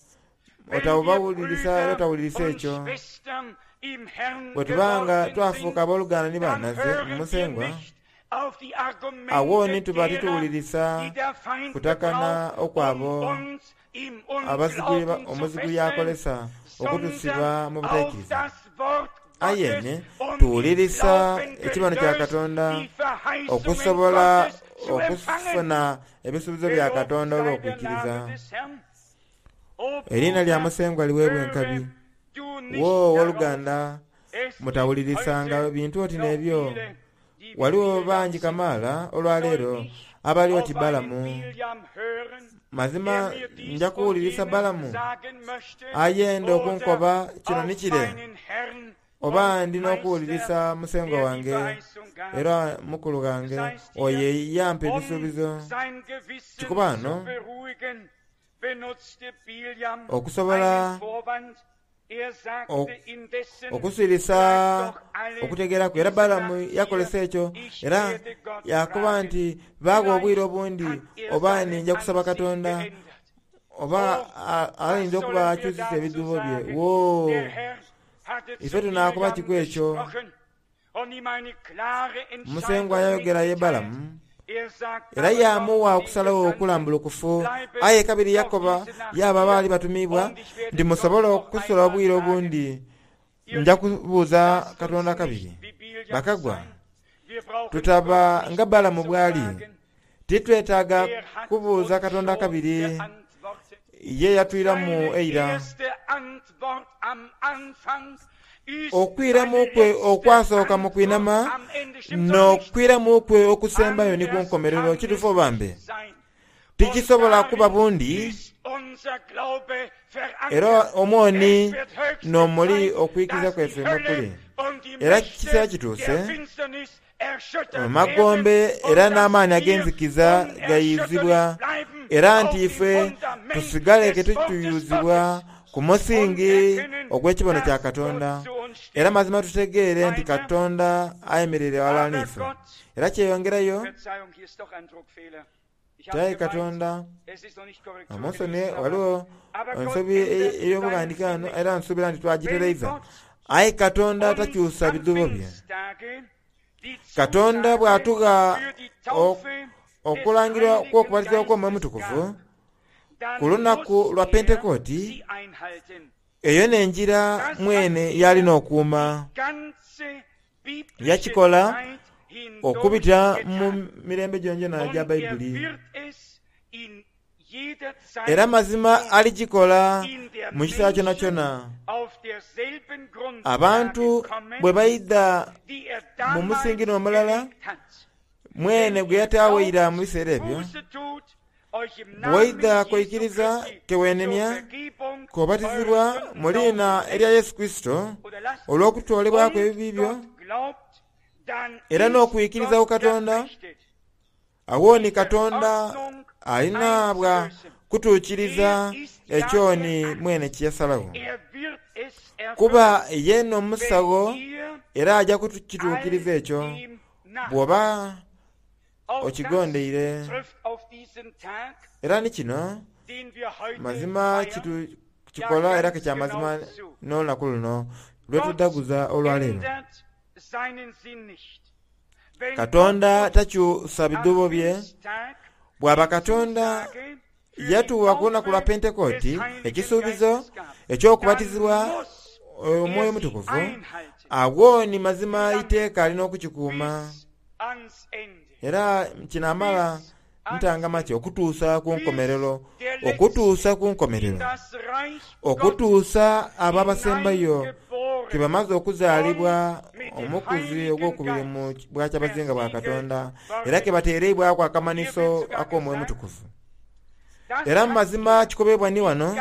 otawubawulirisa era otawulirisa ekyo. Bwe tubanga twafuuka abooluganda ni bannaze mu Musengwa, awo ni tuba tituwulirisa kutakana okwabo abazigu omuzigu yakolesa okutusiba mu butaikiriza. Aye tuwulirisa ekibano kya Katonda okusobola okufuna ebisuubizo bya Katonda olw'okwikiriza. Eriina lya Musengwa liweebwa enkabi. Wo oluganda, mutawulirisanga bintu oti n'ebyo. Waliwo bangi kamaala olwaleero abali oti Balamu. Mazima nja kuwulirisa Balamu ayenda okunkoba kino ni kire, oba ndi n'okuwulirisa musengwa wange era mukulu ghange oyo yampa ebisuubizo. Kikuba wano okusobola okusirisa okutegeeraku. Era Balamu yakolesa ekyo era yakoba nti baagha obwire obundi oba ninja kusaba Katonda oba ayinza okuba akyusisa ebidhuubo bye. Woo! Ife tunaakoba kiku ekyo. Musengwa yayogera ye Balamu era yaamuwa okusalagho okulambulukufu. Aye kabiri yakoba yaaba abaali batumiibwa nti musobola okusula obwire obundi nja kubuuza Katonda kabiri. Bakagwa, tutaba nga Balamu bwali. Titwetaaga kubuuza Katonda kabiri. Ye yatwiramu eira. Okwiramu kwe okwasooka mu kwinama n'okwiramu kwe okusembayo ni ku nkomerero. Kituufu oba mbe? Tikisobola kuba bundi. Era omwoni n'omuli okwikiriza kwaife mwe kuli. Era ekiseera kituuse amagombe era n'amaani ag'enzikiza gayizibwa, era nti ife tusigale ke tutuyuzibwa ku musingi ogw'ekibono kya Katonda. Era mazima tutegeere nti Katonda ayemereire ghalala n'ife. Era kyeyongerayo kyaye Katonda omunsoni waliwo ensobi ey'obughandike ghano era nsuubira nti twagitereiza. Aye Katonda takyusa bidhuubo bye. Katonda bw'atugha okulangirwa kw'okubatizibwa kw'Omwoyo Omutukuvu ku lunaku lwa Pentekoti, eyo n'enjira mwene y'alina okuuma. Yakikola okubita mu mirembe gyongyona egya Baibuli. Era mazima aligikola mu kiseera kyonakyona. Abantu bwe baidha mu musingi n'omulala mwene gwe yataagho eira mu biseera ebyo, bw'oidha kwikiriza kewenenia k'obatizibwa mu liina erya Yesu Kurisito olw'okutoolebwaku ebibi byo era n'okwikiriza ku Katonda, awo ni Katonda alina bwa kutuukiriza ekyoni mwene kye yasalagho. Kuba ye n'omusagho era aja kukituukiriza ekyo bw'oba okigondeire. Era ni kino mazima kikola era ke kyamazima n'olunaku luno lwetudhaguza olwaleero. Katonda takyusa bidhuubo bye. Bw'aba Katonda yatuwa ku lunaku lwa Pentekoti ekisuubizo eky'okubatizibwa Omwoyo Omutukuvu, agho ni mazima iteeka alina okukikuuma. Era kinaamala ntangama ki okutuusa ku nkomerero, okutuusa ku nkomerero, okutuusa abo abasembayo ke bamaze okuzaalibwa omukuzi ogwokubiri mu bwakyabazinga bwa Katonda, era ke bateereibwaku akamanhiso ak'Omwoyo Omutukuvu. Era mu mazima kikobebwa ni wano,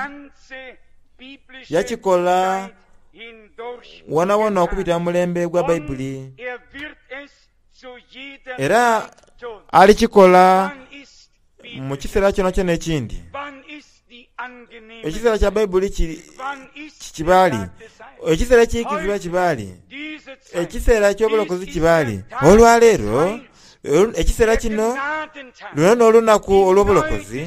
yakikola hindurch wonawona getan. okubita mu mulembe gwa Und Bayibuli. er wird es zu jeder Era Zeit tun. alikikola Wann ist mu Bibel? kiseera kyona kyona ekindi. Wann ist die angenehme Ekiseera kya Zeit? Bayibuli kiri Wann ist der kibaali, Tag des Heils? ekiseera ekiyikizibwa Heute, kibaali, diese Zeit, ekiseera dies eky'obulokozi ist kibaali. der Tag des Olwaleero Heils, olu- ekiseera der kino Gnadentag. luno n'olunaku Die olw'obulokozi,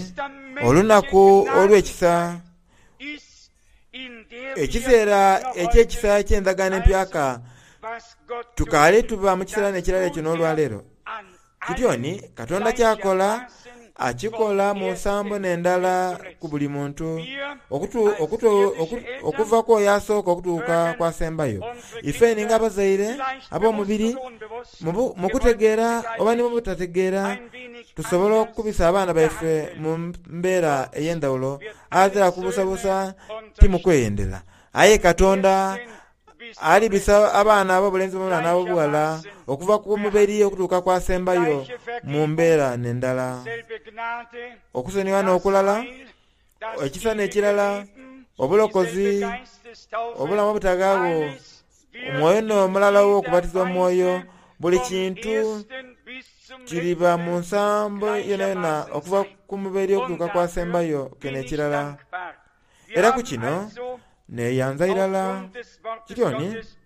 olunaku neutestamentliche olw'ekisa, Gnadenzeit ist, in der wir ekiseera noch eky'ekisa heute, eky'endagaano empyaka. also, was Gott Tukaale tut, tuba mu kiseera das n'ekirala ekyo tut er n'olwaleero. an Kityoni allen Katonda ky'akola gleichermaßen akikola vom mu nsambo ersten n'endala bis zum ku letzten. buli muntu, Wir okutu, als okutu, oku, irdische Eltern okuva ku oyo asooka okutuuka mögen kw'asembayo. unsere Ife ninga Kinder abazaire vielleicht bewusst ab'omubiri oder unbewusst, mu bu- mu gewollt kutegeera oba ni mu zugleich butategeera ein wenig tusobola anders okukubisa abaana baife behandeln. mu mbeera ey'endawulo, Gott wird alle azira Söhne kubusabusa timukweyendera. Aye vom Katonda ersten bis zum alibisa letzten abaana ab'obulenzi bonna n'ab'obuwala gleichermaßen okuva ku muberi behandeln. okutuuka kw'asembayo Gleiche mu Vergebung, mbeera n'endala. selbe Gnade, Okusonyiwa das n'okulala, Heil, das ekisa ewige n'ekirala, Leben, dieselbe obulokozi, Geistestaufe, obulamu obutagaagho, alles wird omwoyo in n'omulala jeder w'okubatizibwa mu mwoyo, Weise buli vom kintu ersten bis zum kiriba mu letzten nsambo yonayona gleichermaßen okuva sein. ku muberi Und okutuuka dafür kw'asembayo bin keno ich ekirala. dankbar. Wir Era ku haben kino also neeyanza irala aufgrund des Wortes kityoni Gottes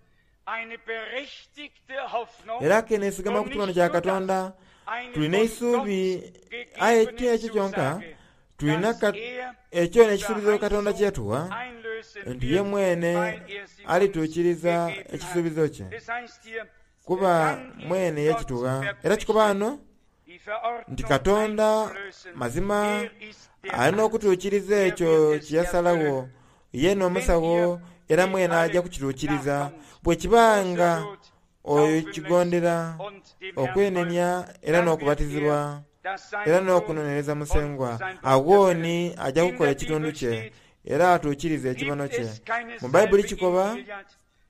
eine berechtigte Hoffnung era ke neesigama und ku kibono nicht kya nur das, Katonda. eine Tulina von eisuubi Gott aye gegebene ti ekyo kyonka Zusage, tulina dass ka- er ekyo die n'ekisuubizo Katonda kye Verheißung yatuwa einlösen nti ye wird, mwene weil er sie uns alituukiriza gegeben hat. ekisuubizo kye, Das heißt hier, kuba dann ist mwene Gott yakituwa. Era kikuba verpflichtet, wano die nti Verordnung Katonda einzulösen. mazima Er ist der alina Arzt, okutuukiriza er ekyo wird es kye yasalawo, erfüllen. ye Wenn n'omusawo ihr era nicht mwene ajja alle kukituukiriza. nachkommt, Bwe kibanga Buße tut, oyo taufen lässt kigondera und dem Herrn folgt, okwenenya era dann wird er n'okubatizibwa das era sein Sohn n'okunonereza und Musengwa, sein Blut awo erfüllen. ni ajja In kukola der ekitundu Bibel kye steht, era atuukirize ekibono gibt kye. es keine Mu Bayibuli Salbe in kikoba Gilead,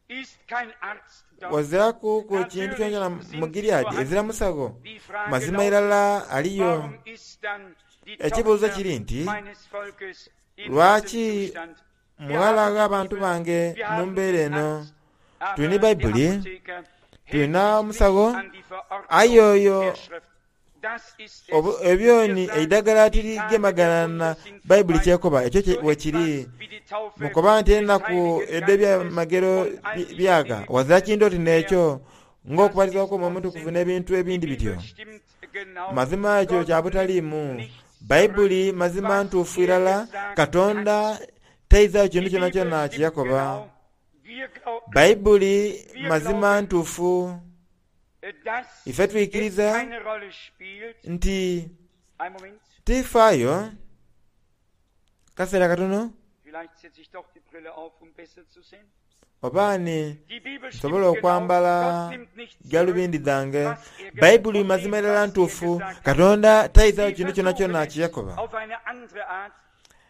ist kein Arzt dort. waziraku ku kintu kyonkyona Natürlich mu sind sie Gileadi ezira vorhanden. musago Die Frage mazima lautet, irala aliyo. warum ist dann die Ekibuuzo Tochter kiri nti meines Volkes in diesem lwaki Zustand? Wir muwala haben die w'abantu Bibel, bange wir mu haben mbeera den eno? Arzt, aber Tulina der Bayibuli, Apotheker hält tulina sich nicht omusago, an die Verordnung aye oyo der Schrift. Das ist obu- es. Wir ebyoni sagen, eidagala die Tage der tirigemagana na Wunder sind Bayibuli vorbei. kyekoba ekyo kye- So wekiri. etwas wie die Taufe Mukoba nti des ennaku Heiligen Geistes ed'ebyamagero und all bi- diese byaga Dinge wazira gibt kintu es oti nicht mehr. n'ekyo Das ng'okubatizibwa ist kw'omwoyo omutukuvu Unsinn. n'ebintu Die ebindi bityo. Bibel stimmt genau. Mazima ekyo Gott kya nimmt butaliimu. nicht Bayibuli zurück, mazima was ntuufu er irala, gesagt Katonda hat. taizaayo kintu Die kyona Bibel kyona kye stimmt yakoba. genau. Wir glauben, Bayibuli wir mazima glauben, ntuufu. dass Ife es twikiriza keine Rolle spielt. nti Ein Moment, tifaayo kaseera katono vielleicht setze ich doch die Brille auf, um besser zu sehen. oba ni Die Bibel stimmt nsobola genau. okwambala Gott nimmt nicht zurück, galubindi zange. was er ge- Bayibuli von mazima dem, irala was er ntuufu, gesagt hat. Katonda tayizaayo Sie kintu kyona versuchen kyona es kye yakoba. auf eine andere Art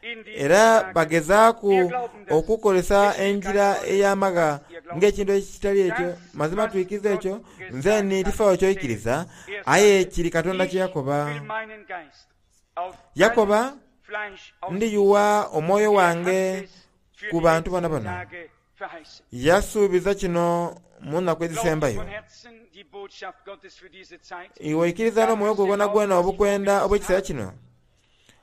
in diesen Era Tagen. bagezaaku Wir glauben das. okukozesa Es spielt keine enjira Rolle, ey'amaga was ihr glaubt. ng'ekintu ekitali ekyo. Das, Mazima was tuikiriza Gott ekyo, nze gesagt ni hat, tifaayo zählt. kyoyikiriza, Er aye sagte, kiri Katonda kye ich yakoba. will meinen Geist auf Yakoba alles Fleisch ausgießen. ndiyuwa omwoyo Er hat wange es für ku die bantu bona letzten bona. Tage verheißen. Yasuubiza kino mu nnaku Glaubt ihr ezisembayo. von Herzen die Botschaft Gottes für diese Zeit? Iwe oikiriza Dann n'omwoyo müsst gwo ihr gwona glauben, gwona was ich obukwenda vorgelesen obw'ekiseera habe. kino.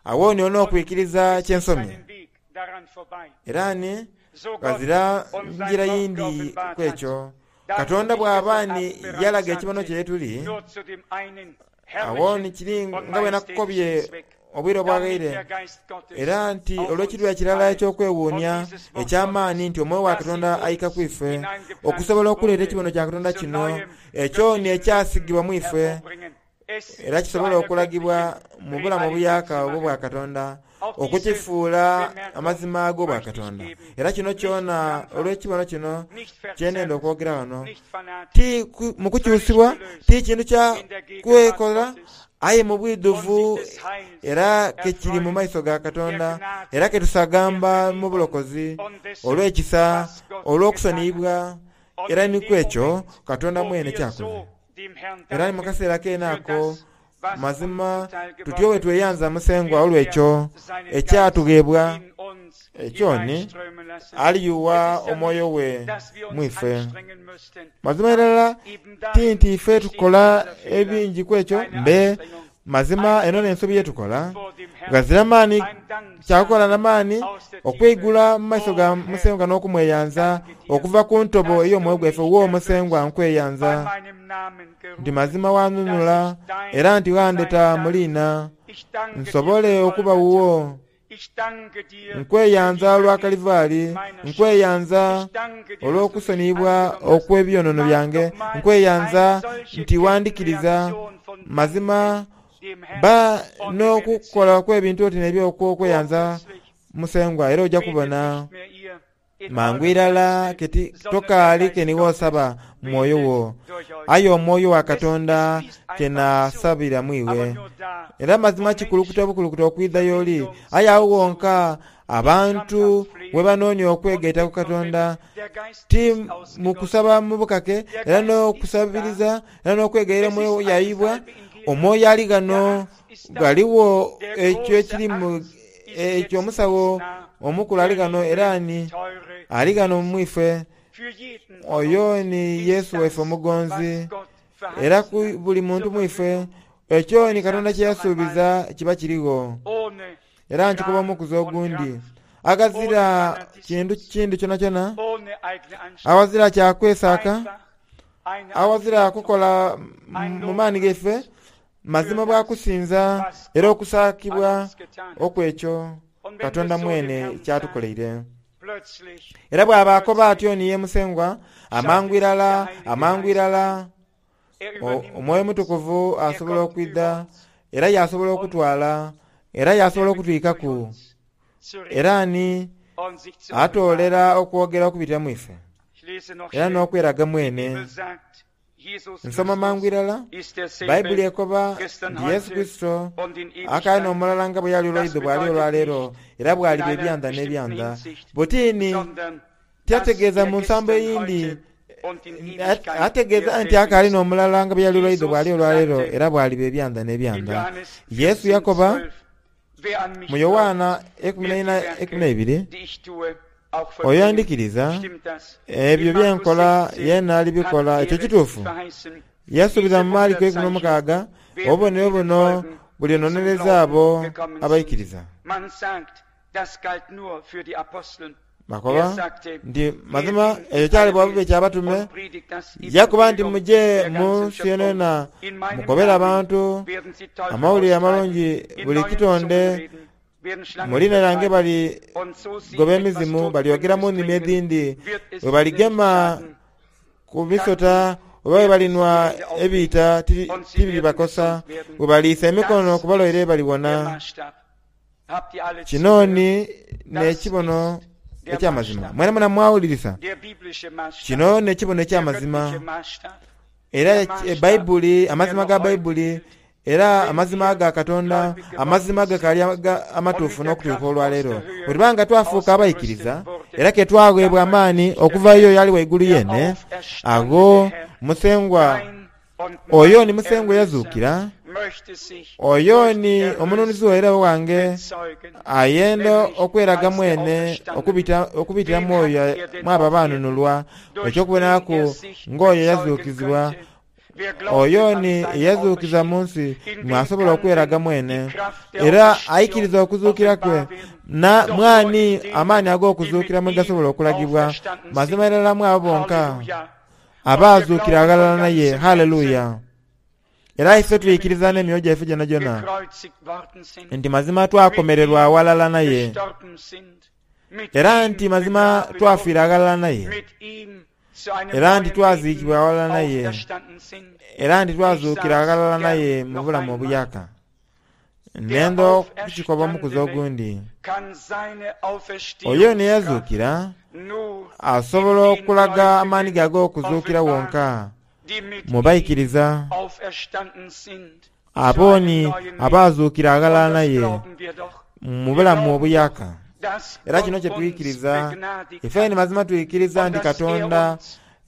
Awo ni olina Und okwikiriza es kye gibt nsomye. keinen Weg daran vorbei. Era ni So Gott ghazira uns sein njira Wort yindi geoffenbart ku hat, ekyo. dann Katonda ich bw'aba gestern ni Abend bereits yalaga ekibono sagte, kye tuli, nur zu dem einen awo ni herrlichen kiri und nga bwe nakukobye majestätischen Zweck, obwire damit obwagaire. der Geist Gottes Era nti auf olw'ekirwa uns ekirala alle und eky'okwewuunya dieses Wort eky'amaani Gottes, nti omwoyo wa das in Katonda ayika uns ku ife hineingepflanzt okusobola okuleeta wurde, ekibono kya Katonda zu kino neuem ekyo ni göttlichen Leben ekyasigibwa mu ife hervorbringen, es era zu kisobola einer okulagibwa göttlichen mu bulamu Realität obuyaka zu obwo bwa machen. Katonda Auch diese okukifuula Bemerkung amazima ag'obwa möchte ich Katonda. geben. Era kino Nicht kyona krampfhaft, olw'ekibono kino nicht kye nenda verzerrt, okwogera wano nicht fanatisch, ti ku- mu völlig kukyusibwa gelöst ti kintu kya in der Gegenwart kwekola Gottes aye mu und bwidhuvu sich des Heils era kekiri mu erfreuen, maiso ga der Katonda Gnade, era der ketusagamba mu Vergebung bulokozi und dessen, olw'ekisa was Gott getan hat. olw'okusoniyibwa Und era in ni dem ku ekyo Moment, Katonda wo mwene wir kyakoze. so dem Herrn Era ni mu danken kaseera keene für ako das, Mazima tutyo bwe tweyanza Musengwa olw'ekyo ekyatugheebwa ekyo ni aliyuwa omwoyo we mwife. Mazima irala ti nti ife tukola ebingi ku ekyo mbe mazima eno n'ensobi yetukola. Ghazira maani kyakukola na maani okweigula mu maiso ga Musengwa n'okumweyanza okuva ku ntobo ey'omwoyo gwaife. Wo Musengwa nkweyanza nti mazima wanunula era nti wandeta mu liina nsobole okuba wuwo. Nkweyanza olwa Kalivaali, nkweyanza olw'okusoniyibwa okw'ebyonono byange, nkweyanza nti wandikiriza. Mazima ba n'okukola kw'ebintu oti n'ebyo okw'okweyanza Musengwa, era ojja kubona mangu irala keti tokaali keni wosaba mwoyo wo, aye omwoyo wa Katonda kenasabira mwiwe. Era mazima kikulukuta bukulukuta okwidha y'oli, aye awo wonka abantu we banoonia okwegaita ku Katonda ti mu kusaba mu bukake era n'okusabiriza era n'okwegaira omwoyo yaibwa. Omwoyo ali ghano ghaligho ekyo ekiri mu ekyo omusawo omukulu ali ghano era ni ali ghano mwife. Oyo ni Yesu waife omugonzi, era ku buli muntu mwife ekyo ni Katonda kye yasuubiza kiba kirigho. Era nkikuba omukuzi ogundi aghazira kintu kindi kyonakyona, awazira kyakwesaaka, awazira kukola mu maani gaife, mazima bwakusinza era okusaakibwa okw'ekyo Katonda mwene kyatukoleire. Era bw'aba akoba atyo ni ye Musengwa, amangu irala amangu irala Omwoyo Mutukuvu asobola okwidha era yasobola okutwala era yasobola okutwikaku era ni atoolera okwogera okubitira mu ife era n'okweraga mwene. Nsoma mangu irala Bayibuli ekoba nti Yesu Kristo akaali n'omulala nga bwe yali olwaidho bw'ali olwaleero era bw'aliba ebyanda n'ebyanda. Butini tyategeeza mu nsambo eyindi, ategeeza nti akaali n'omulala nga bwe yali olwaidho bw'ali olwaleero era bw'aliba ebyanda n'ebyanda. Yesu yakoba mu Yowaana ekumi na ina ekumi na ibiri, oyo andikiriza ebyo byenkola yena alibikola. Ekyo kituufu. Yasuubiza mu Maliko ekumi n'omukaaga obubonero buno bulinonereza abo abaikiriza. Bakoba nti mazima ekyo kyali bwa bubi ekyabatume. Yakuba nti muje mu nsi yonayona mukobere abantu amawulire amalungi buli kitonde mu liina lyange bali goba emizimu, balyogera mu nnimi edhindi, bwe baligema ku misota oba bwe balinwa ebiita tibiribakosa, bwe baliisa emikono ku balwaire baliwona. Kino ni n'ekibono eky'amazima. Mwena mwena mwawulirisa kino n'ekibono eky'amazima. Era Baibuli, amazima ga Baibuli era amazima ga Katonda, amazima gakaali amatuufu n'okutuuka olwaleero. Bwe tuba nga twafuuka abaikiriza era ke twaweebwa amaani okuva yo yali waigulu yene, agho Musengwa oyo ni Musengwa eyazuukira, oyo ni omununuzi waire wange ayenda okweraga mwene okubitira mu oyo mwabo abanunulwa, eky'okubonaku ng'oyo yazuukizibwa. Oyo ni eyazuukiza mu nsi mwasobola okweraga mwene era aikiriza okuzuukira kwe na mwani amaani ag'okuzuukira mwe gasobola okulagibwa. Mazima irala mwabo bonka abaazuukira aghalala naye. Haleluya! Era ife twikiriza n'emyoyo gyaife gyonagyona nti mazima twakomererwa awalala naye, era nti mazima twafiira aghalala naye, era nti twaziikibwa aghalala naye, era nti twazuukira aghalala naye mu bulamu obuyaka. Nenda okukikoba omukuzi ogundi, oyo neyazuukira asobola okulaga amaani ge ag'okuzuukira wonka mu baikiriza abooni abaazuukira aghalala naye mu bulamu obuyaka. Era kino kye twikiriza ife ni mazima twikiriza nti Katonda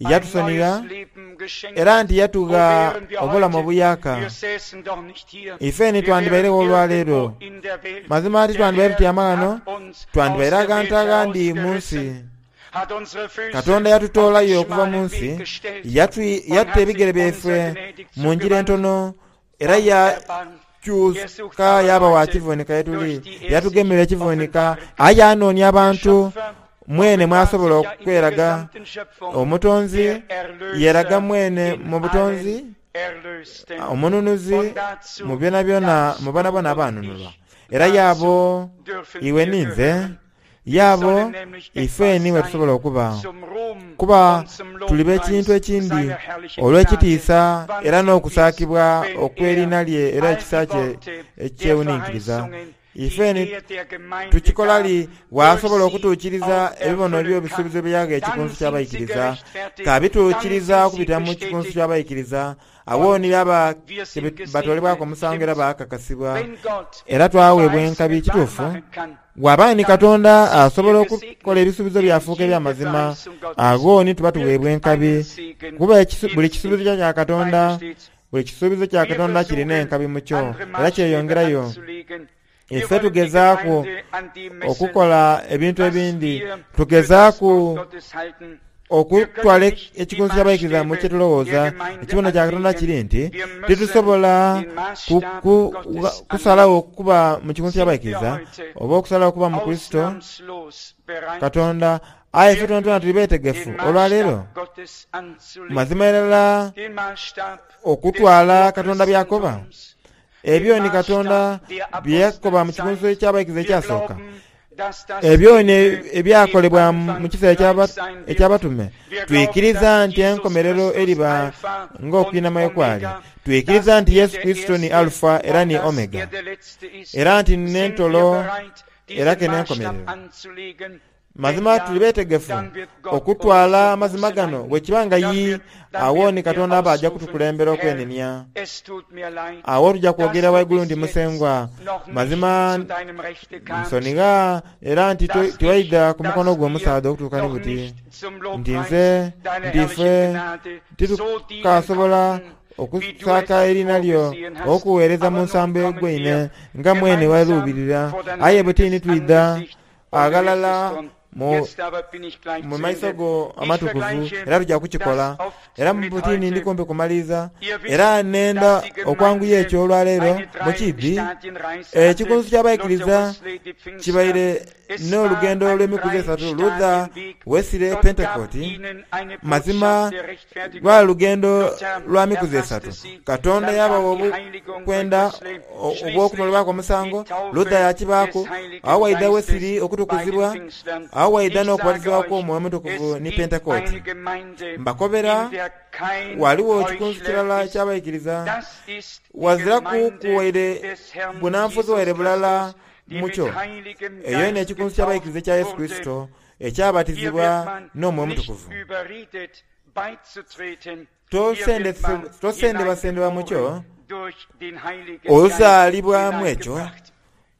ein yatusonigha neues Leben geschenkt. era nti Wo yatugha wären wir obulamu heute? obuyaka. Wir säßen doch nicht hier. Ife ni Wir wären twandibairegho olwaleero. irgendwo in der Welt. Mazima ati Der twandibaire Herr tutyama ghano, hat uns aus twandibaire der agantu Welt agandi mu nsi. herausgerissen, hat unsere Füße Katonda auf den yatutoolayo okuva mu schmalen nsi, Weg gestellt yatu- und yatta hat ebigere sich byaife unser gnädig mu njira zugewandt entono, era und erbarmt. Er sucht yakyuka aber yaba wa Leute, kivunika ye tuli, durch die er sich yatugemera ekivunika, offenbaren kann. aye anoonia Der abantu Schöpfer mwene offenbart mwasobola sich ja in der okweraga. gesamten Schöpfung, Omutonzi der Erlöser yeraga mwene in mu butonzi, allen Erlösten. omununuzi Und dazu mu byonabyona darfst mu bana du bona und abanunulwa. ich, Era dazu yaabo dürfen iwe wir ninze, gehören. Wir yaabo sollen nämlich ife etwas niwe sein tusobola okuba. zum Ruhm Kuba und zum tuliba ekintu Lobpreis ekindi seiner herrlichen Gnade. olw'ekitiisa Wann era sind wir's, n'okusaakibwa wenn okw'erinnya er lye era all ekisa die kye Worte der ekyewuninkiriza. Verheißungen, die Ife ni er der Gemeinde tukikola gab, li durch bw'asobola sie okutuukiriza auch ebibono erfüllen kann, by'ebisuubizo bye yaga dann ekikunsu sind sie ky'abayikiriza, gerechtfertigt, dann kabituukiriza sind sie okubita mu kikunsu bestätigt ky'abayikiriza, awo und ni baba wir sind batoolebwako gesegnet. omusango era Stimmt's? baakakasibwa. Wenn Gott Era die twaweebwa enkabi Verheißungen wahr kituufu, machen kann, bw'aba ni dann Katonda sind wir asobola okukola gesegnet ebisuubizo in byafuuka jede eby'amazima, Verheißung Gottes ago ni tuba tuweebwa wirkt enkabi. einen Segen Kuba ekisu- buli in kisuubizo sich. kya Katonda, Weiter steht's. buli kisuubizo kya Wir Katonda kirina versuchen, enkabi mu kyo, andere era Maßstäbe kyeyongerayo. anzulegen. Wir Ife wollen die tugezaaku Gemeinde an dem messen, okukola ebintu was ebindi, wir für das tugezaaku Wort Gottes halten. Wir können okutwala nicht die ekikunsu ky'abayikiriza mu Maßstäbe kye tulowooza. der Gemeinde Ekibono kya Katonda anlegen. kiri nti Wir müssen tetusobola den ku- Maßstab ku- Gottes kusalawo anlegen. okuba mu kikunsu Sind wir ky'abayikiriza heute oba okusalawo okuba mu Kristo ausnahmslos bereit, Katonda. Aye ife tonatona tuli beetegefu den olwaleero Maßstab Gottes anzulegen, mazima irala den Maßstab des okutwala Katonda by'akoba. Urchristentums, den Ebyo ni Katonda Maßstab der bye yakoba mu kikunsu Apostelzeit. ky'abayikiriza Wir ekyasooka. glauben, dass das Ebyo ni Ende dem ebyakolebwa mu Anfang kiseera gleich eky'aba- sein wird. eky'abatume. Wir glauben, Twikiriza dass nti Jesus enkomerero Christus eriba Alpha und ng'okwinama kwali. Omega, Twikiriza dass nti er Yesu der Kristo ni Erste Alufa era und ni dass Omega, er der Letzte ist. era nti Sind wir n'entolo bereit, era diesen ke Maßstab n'enkomerero. anzulegen? Wenn Mazima ja, tuli beetegefu dann wird Gott uns okutwala zur amazima Buße gano leiten. bwe kiba nga Dann yi wird, dann awo ni werden wir Katonda aba ajja ausrufen, kutukulembera Herr, okwenenya. es tut mir leid, Awo tujja dass kwogera du waigulu bis nti jetzt Musengwa noch nicht mazima zu deinem Rechte kamst, nsonigha era nti to- dass ich, tiwaidha ku mukono dass gwo wir omusaadha okutuuka ni noch buti nicht zum nti Lobpreis nze deiner nti ife herrlichen Gnade so dienen titukasobola konnten, wie du okusaaka es erina lyo vorgesehen hast. okuweereza mu Aber nun nsambo kommen egweine wir nga mwene gemeinsam waluubirira vor dein aye bwe tini heiliges twidha Angesicht und du wirst aghalala es tun. mu Jetzt aber bin ich gleich mu zu maiso Ende. go Ich amatukuvu vergleiche era tujja kukikola das oft era mu mit butini ndi heute. kumpi kumaliriza Ihr wisst, era nenda dass die okwanguya Gemeinde ekyo olwaleero eine mu kibbi Drei-Stadien-Reise hatte. ekikunsu Luther, ky'abayikiriza Wesley, die Pfingstler. kibaire Es war n'olugendo ein olw'emikuzi esatu Luther Drei-Stadien-Weg. Wesley Gott gab Pentekooti ihnen eine mazima Botschaft der Rechtfertigung. lwali lugendo Luther lwa mikuzi erfasste esatu. sie. Katonda Dann yabawa kam die Heiligung durch obukwenda Wesley. o- Schließlich obw'okumalibwako die omusango. Taufe Luther yakibaako des Heiligen awo waidha Geistes Wesley bei den okutukuzibwa Pfingstlern. awo waidha Ich sage n'okubatizibwako euch, Omwoyo Omutukuvu es ni gibt Pentekooti. eine Gemeinde, Mbakobera in der kein waliwo ekikunsu Heuchler kirala ist. eky'abayikiriza Das ist die waziraku Gemeinde kuwaire des Herrn bunanfuzi Jesus waire bulala Christus, die mu mit kyo. Heiligem Eyo eno Geist ekikunsu getauft ky'abayikiriza ekya Yesu wurde. Kristo Hier ekyabatizibwa wird man n'Omwoyo nicht Omutukuvu. überredet, beizutreten. Hier wird man Tosendebwasendebwa mu kyo hineingeboren durch den Heiligen Geist ozaalibwamu ekyo hineingebracht.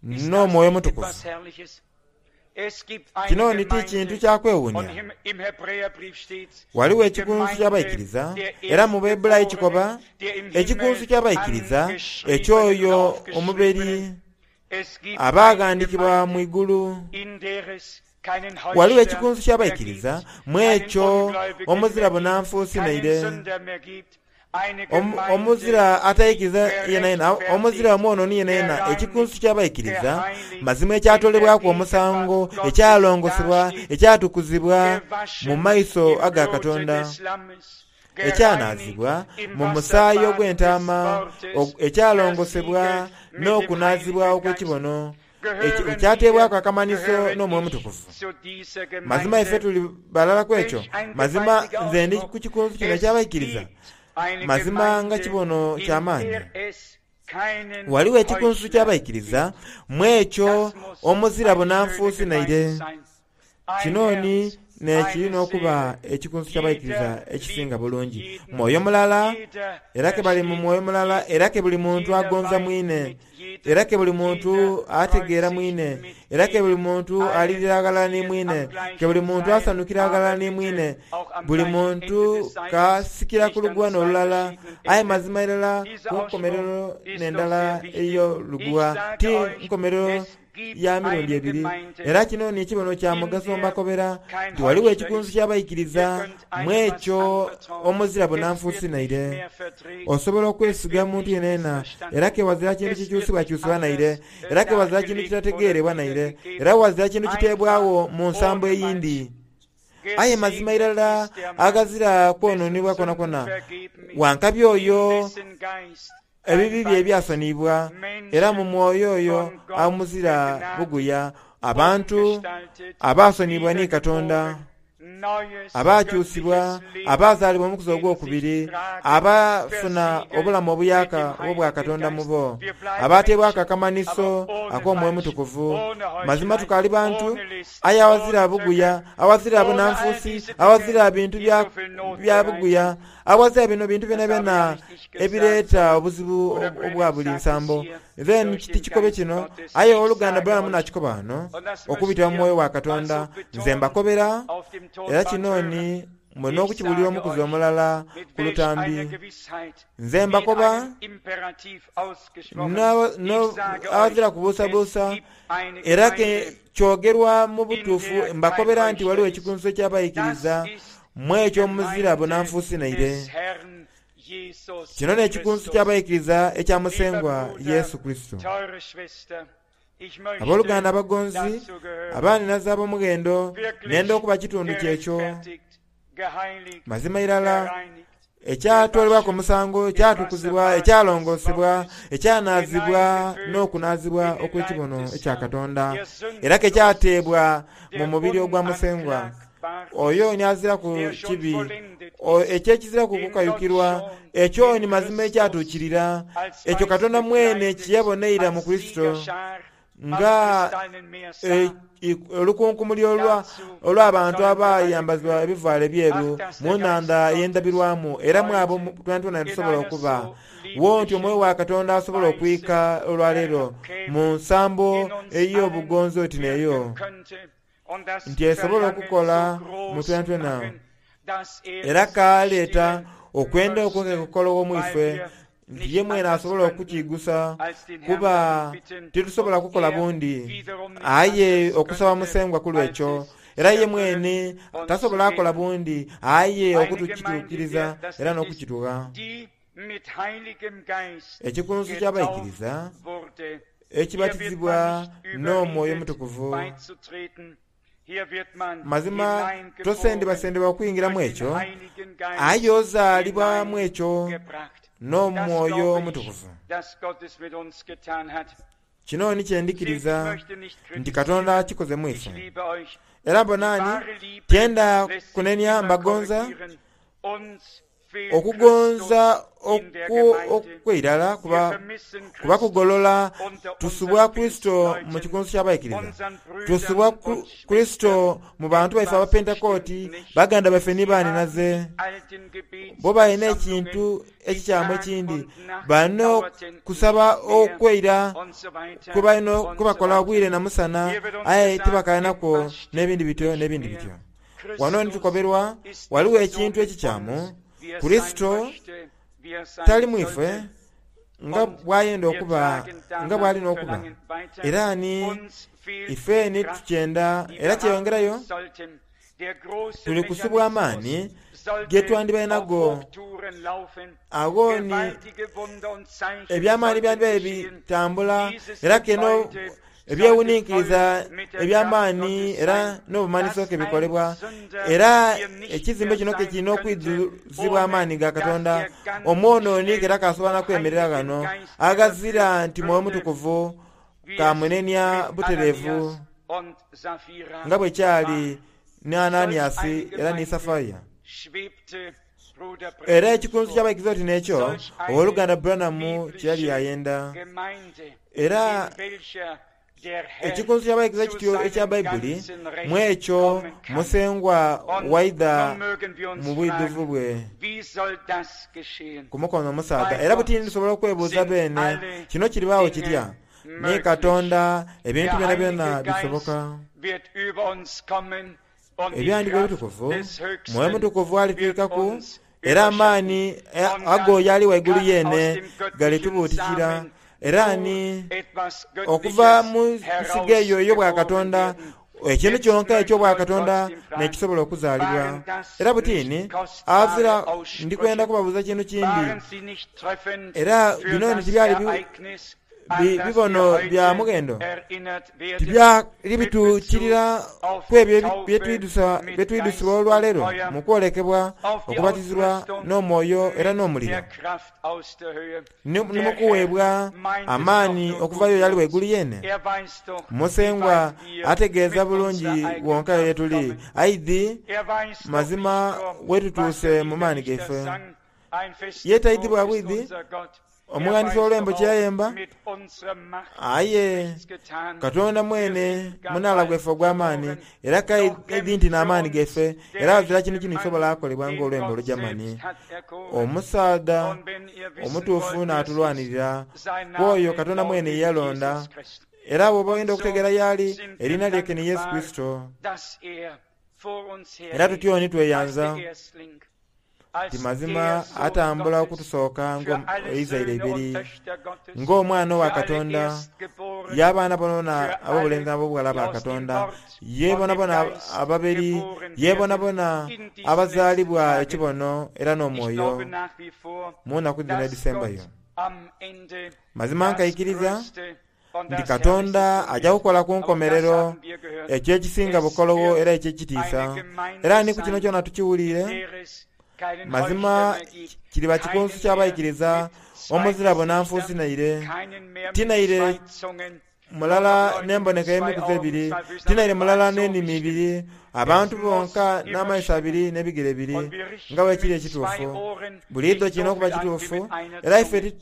Ist das n'Omwoyo nicht Omutukuvu. etwas Herrliches? Es gibt eine Kino ni ti kintu Gemeinde, kya und kwewuunya. im, im Hebräerbrief steht's, Waliwo die ekikunsu Gemeinde ky'abayikiriza der era mu Bayibuli kikoba Erstgeborenen, der im ekikunsu Himmel ky'abayikiriza angeschriebenen und eky'oyo omuberi aufgeschriebenen. Es gibt eine abaagandikibwa mu Gemeinde, igulu. in der es keinen Waliwo Heuchler ekikunsu mehr ky'abayikiriza gibt, mu keinen ekyo Ungläubigen omuzira mehr gibt, bunanfuusi keinen naire Sünder mehr gibt, eine Omu- Gemeinde, omuzira die atayikiriza yena yena omuzira gerechtfertigt, omwonooni yena yena ekikunsu gereinigt, ky'abayikiriza geheiligt, mazima in der ekyatolebwaku omusango Gegenwart Gottes ekyalongosebwa dasteht, ekyatukuzibwa mu gewaschen maiso im aga Blute Katonda des Lammes, ekyanaazibwa gereinigt im mu musaayi Wasserbad des ogw'entaama Wortes, og- ekyalongosebwa versiegelt mit dem n'okunaazibwa Heiligen Geist. okw'ekibono eki- Gehören ekyateebwako wir, akamanyiso gehöre n'Omwoyo ich Omutukuvu. zu dieser Mazima ife Gemeinde? tuli balala ku ekyo. Welch ein Mazima gewaltiger nze ndi Ausdruck. ku kikunsu kino Es eky'abayikiriza. gibt eine Mazima nga Gemeinde, kibono in ky'amaanyi. der es keinen Waliwo ekikunsu Heuchler ky'abayikiriza gibt. mu ekyo Das muss omuzira eine schöne bunanfuusi Gemeinde naire. sein. Ein Kino ni Herz N'ekirina okuba ekikunsu ky'abaikiriza ekisinga bulungi. Mwoyo mulala, era ke bali mu mwoyo mulala, era ke buli muntu agonza mwine, era ke buli muntu ategeera mwine, era ke buli muntu alirira aghalala ni mwine, ke buli muntu asanhukira aghalala ni mwine, buli muntu kasikira ku luguwa n'olulala, aye mazima irala ku nkomerero n'endala ey'oluguwa, ti nkomerero ya mirundi ebiri. Era kino ni kibono kya mugaso mbakobera nti ghaligho ekikunsu ky'abaikiriza mu ekyo omuzira bunanfuusi naire. Osobola okwesiga muntu yenayena, era ke wazira kintu kikyusibwakyusibwa naire, era ke wazira kintu kitategeerebwa naire, era wazira kintu kiteebwagho mu nsambo eyindi. Aye mazima irala aghazira kwononebwa kwonakwo, wankabi oyo ebibi bye byasoniyibwa, era mu mwoyo oyo amuzira buguya. Abantu abaasoniyibwa ni Katonda, abakyusibwa, abazaalibwa omukuzi ogwokubiri, abafuna obulamu obuyaka obwa Katonda mu bo, abateebwaku akamanhiso ak'omwoyo Omutukuvu. Mazima tukaali bantu, aye awazira buguya, awazira bunanfuusi, awazira bintu bya buguya, awazira bino bintu byonabyona ebireeta obuzibu obwa buli nsambo. Then tikikobe kino, aye oluganda Branham nakikoba wano okubitira mu mwoyo wa Katonda, nze mbakobera, era kino ni mwena okukibuulira omukuzi omulala ku lutambi. Nze mbakoba awazira kubuusabuusa, era ke kyogerwa mu butuufu, mbakobera nti waliwo ekikunsu eky'abaikiriza mu ekyo omuzira bunanfuusi naire. Kino n'ekikunsu ky'abaikiriza ekya Musengwa Yesu Kristo. Abooluganda abagonzi, abaaninaza ab'omughendo, nenda okuba kitundu kyekyo. Mazima irala ekyatwalibwaku omusango, ekyatukuzibwa, ekyalongosebwa, ekyanaazibwa n'okunaazibwa okw'ekibono ekya Katonda, era ke kyateebwa mu mubiri ogwa Musengwa. Oyo ni aziraku kibi, ekyekiziraku kukayukirwa, ekyo ni mazima ekyatuukirira, ekyo Katonda mwene kyeyaboneira mu Kurisito, nga olukunkumuli olw'abantu abayambazibwa ebivaalo ebyeru mu nnhandha ey'endabirwamu, era mu abo twenatwena tusobola okuba. Wo nti omwoyo wa Katonda asobola okwika olwaleero mu nsambo ey'obugonzi oti n'eyo, nti esobola okukola mu twenatwena, era kaleeta okwenda okwo mu ife, nti ye mwene asobola okukigusa, kuba titusobola kukola bundi, aye okusaba Musengwa ku lwekyo, era ye mwene tasobola akola bundi, aye okutukituukiriza era n'okukitugha. Ekikunsu ky'abaikiriza ekibatizibwa n'omwoyo Omutukuvu. Mazima tosendebwasendebwa okuyingiramu ekyo, aye ozaalibwamu ekyo n'omwoyo Omutukuvu. Kino ni kyendikiriza nti Katonda akikoze mu ife. Era mbonani tyenda kunenia mbagonza, okugonza okweirala kuba, kuba kugolola. Tusubwa Kristo mu kikunsu ky'abaikiriza, tusubwa Kristo mu bantu baife abapentekooti, baganda baife ni baaninaze, bo balina ekintu ekikyamu ekindi, balina kusaba okweira kwebakola obwire na musana, aye tibakalinaku n'ebindi bityo n'ebindi bityo. Wano nitukoberwa waliwo ekintu ekikyamu. Kurisito tali mu ife nga bwayenda okuba, nga bwalina okuba, era ni ife ni tukyenda, era kyeyongerayo tuli kusubwa amaani ge twandibaire nago. Agho ni eby'amaani byandibaire bitambula, era keno ebyewuninkiriza eby'amaani era n'obumanhiso ke bikolebwa, era ekizimbe kino ke kirina okwidhuzibwa amaani ga Katonda. Omwonooni era kasobola na kwemerera ghano aghazira nti mwoyo Mutukuvu kamunenia butereevu, nga bwe kyali ni Ananiasi era ni Safaya. Era ekikunsu ky'abaikiriza oti n'ekyo owooluganda Branham kye yali ayenda, era Ekikunsu ky'abayigiza kityo ekya Baibuli, mu ekyo Musengwa waidha mu bwidhuvu bwe ku mukono omusaadha. Era buti tusobola okwebuuza beene, kino kiribaawo kitya? Ni Katonda ebintu byonabyona bisoboka. Ebyandiiko ebitukuvu, Mwoyo Mutukuvu alitwikaku, era amaani ago y'ali waigulu yeene galitubuutikira. Era ni okuva mu nsigo eyo ey'obwakatonda, ekintu kyonka eky'obwakatonda n'ekisobola okuzaalibwa. Era butini azira ndikwenda kubabuuza kintu kindi. Era bino ni tibyali bibono bya mughendo, tibyali bituukirira ku ebyo byetwidhusibwa olwaleero mu kwolekebwa, okubatizibwa n'omwoyo era n'omuliro, ni mu kuweebwa amaani okuvayo y'ali waigulu yeene. Musengwa ategeeza bulungi wonka ye tuli, aidhi mazima wetutuuse mu maani gaife. Ye taidhi bwa bwidhi omughandiisi w'olwembo kye yayemba, aye Katonda mwene munaala gwaife ogw'amaani, era kaidhi nti n'amaani gaife, era azira kintu kino kisobola akolebwa ng'olwembo olugyamani. Omusaadha omutuufu n'atulwanirira ku oyo Katonda mwene ye yalonda, era bw'oba oyenda okutegeera y'ali, eriina lye ke ni Yesu Kurisito. Era tutyo ni tweyanza nti mazima atambula okutusooka ng'eizaire eibiri, ng'omwana owa Katonda, y'abaana bonabona ab'obulenzi n'ab'obughala ba Katonda, ye bonabona ababeri, ye bonabona abazaalibwa ekibono era n'omwoyo mu nnaku dhino edhisembayo. Mazima nkaikiriza nti Katonda ajja kukola ku nkomerero ekyo ekisinga bukolowo era eky'ekitiisa. Era ni ku kino kyona tukiwulire, mazima kiriba kikunsu ky'abaikiriza omuzira bunanfuusi naire, ti naire mulala n'emboneka y'emikuzi ebiri, ti naire mulala n'enimi ibiri, abantu bonka n'amaiso abiri n'ebigere bibiri, nga bwe kiri ekituufu. Buliidho kirina okuba kituufu, era ife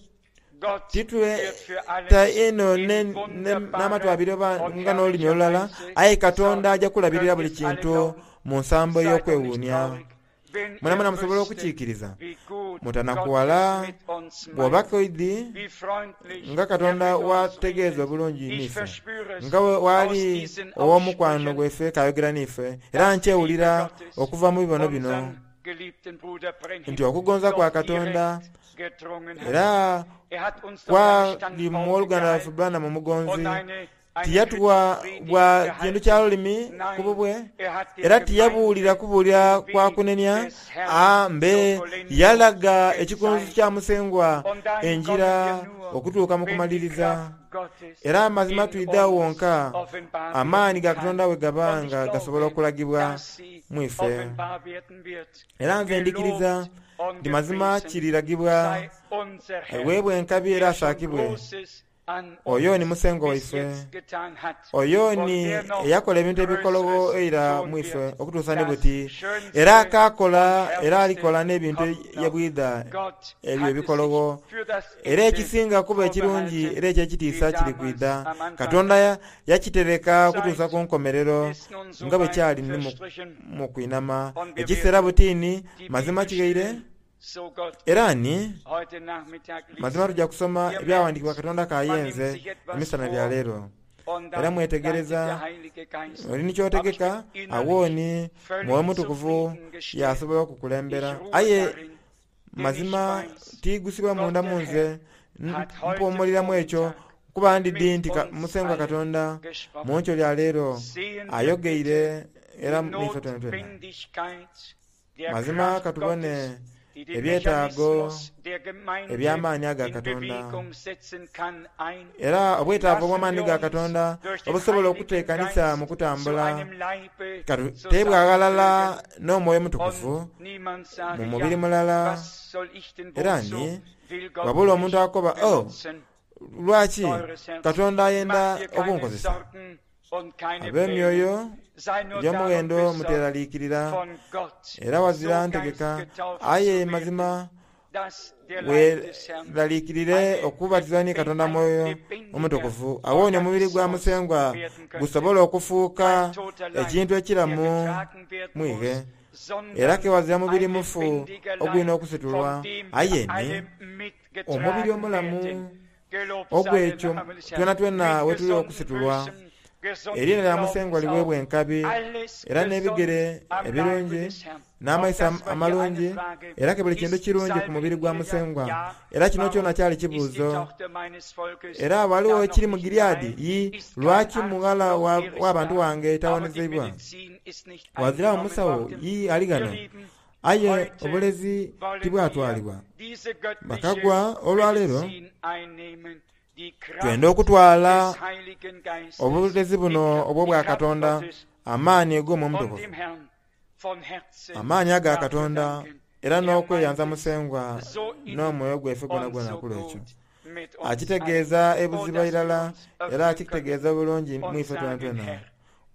titweta inho n'amatu abiri oba nga n'olulimi olulala, aye Katonda ajja kulabirira buli kintu mu nsambo ey'okwewuunia. Mwenamwena musobola okukiikiriza. Mutanakuwala bw'oba koidhi nga Katonda wategeeza obulungi niife, nga waali ow'omukwano gwaife kayogera niife, era nkyewulira okuva mu bibono bino nti okugonza kwa Katonda era kwali mu oluganda lwaife Branham omugonzi, tiyatuwa bwa kintu kya lulimi ku bubwe, era tiyabuulira kubuulira kwa kunenia, mbe yalaga ekikunsu kya Musengwa enjira okutuuka mu kumaliriza. Era amazima twidha wonka amaani ga Katonda we gaba nga gasobola okulagibwa mu ife. Era nze ndikiriza nti mazima kiriragibwa, aweebwe enkabi era asaakibwe oyo ni Musengwa waife, oyo ni eyakola ebintu ebikologo eira mu ife okutuusa ni buti, era akaakola era alikola n'ebintu yebwidha ebyo ebikologo. Era ekisinga kuba ekirungi era eky'ekitiisa kiri kwidha. Katonda yakitereka okutuusa ku nkomerero nga bwe kyali ni mu kwinama. Ekiseera butini mazima kighaire. Era ni mazima tujja kusoma ebyawandiikibwa Katonda kayenze emisana bya leero. Era mwetegereza oli ni kyotegeka, awo ni Mwoyo Mutukuvu yasobola okukulembera. Aye mazima tigusibwa munda mu nze, mpumuliramu ekyo kuba ndidhi nti Musengwa Katonda mu nkyo lya leero ayogeire era niife twenatwena. Mazima katubone ebyetaago eby'amaani aga Katonda, era obwetaavu obw'amaani ga Katonda obusobola okuteekanisa mu kutambula katuteebwa ghalala n'Omwoyo Mutukuvu mu mubiri mulala. Era ni wabula omuntu akoba, oh, lwaki Katonda ayenda okunkozesa? Ab'emyoyo egy'omughendo muteraliikirira, era wazira ntegeka, aye mazima Weeraliikirire okubatizibwa ni Katonda Mwoyo Omutukuvu, awo ni omubiri gwa Musengwa gusobola okufuuka ekintu ekiramu mwighe. Era ke wazira mubiri mufu ogulina okusitulwa, aye ni omubiri omulamu ogw'ekyo twenatwena wetuli okusitulwa. Eriina lya Musengwa liweebwa enkabi, era n'ebigere ebirungi n'amaiso amalungi, era ke buli kintu kirungi ku mubiri gwa Musengwa. Era kino kyona kyali kibuuzo. Era ghaligho ekiri mu Gileadi? Yi, lwaki mughala w'abantu wange tawonizeibwa? Ghaziragho musawo yi ali ghano? Aye obulezi tibwatwalibwa. Bakagwa olwaleero twenda okutwala obulezi buno obw'Obwakatonda, amaani ag'Omwoyo Omutukuvu, amaani aga Katonda, era n'okweyanza Musengwa n'omwoyo gwaife gwonagwona ku lw'ekyo. Akitegeeza ebuziba irala era akitegeeza bulungi mu ife twenatwena.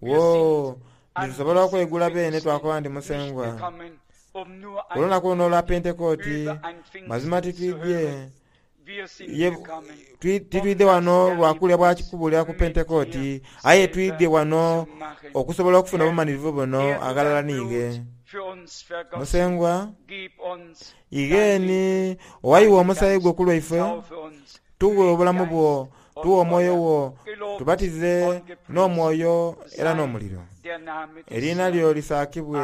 Woo, nitusobola okweigula beene twakoba nti Musengwa, ku lunaku luno olwa Pentekooti, mazima titwidhye titwidhe wano lwa kulya bwa kubuulira ku Pentekooti, aye twidhye wano okusobola okufuna obumalirivu buno aghalala n'ighe. Musengwa, igheeni owayiwa omusaayi gwo ku lwaife, tughe obulamu bwo, tughe omwoyo wo, tubatize n'omwoyo era n'omuliro. Eriina lyo lisaakibwe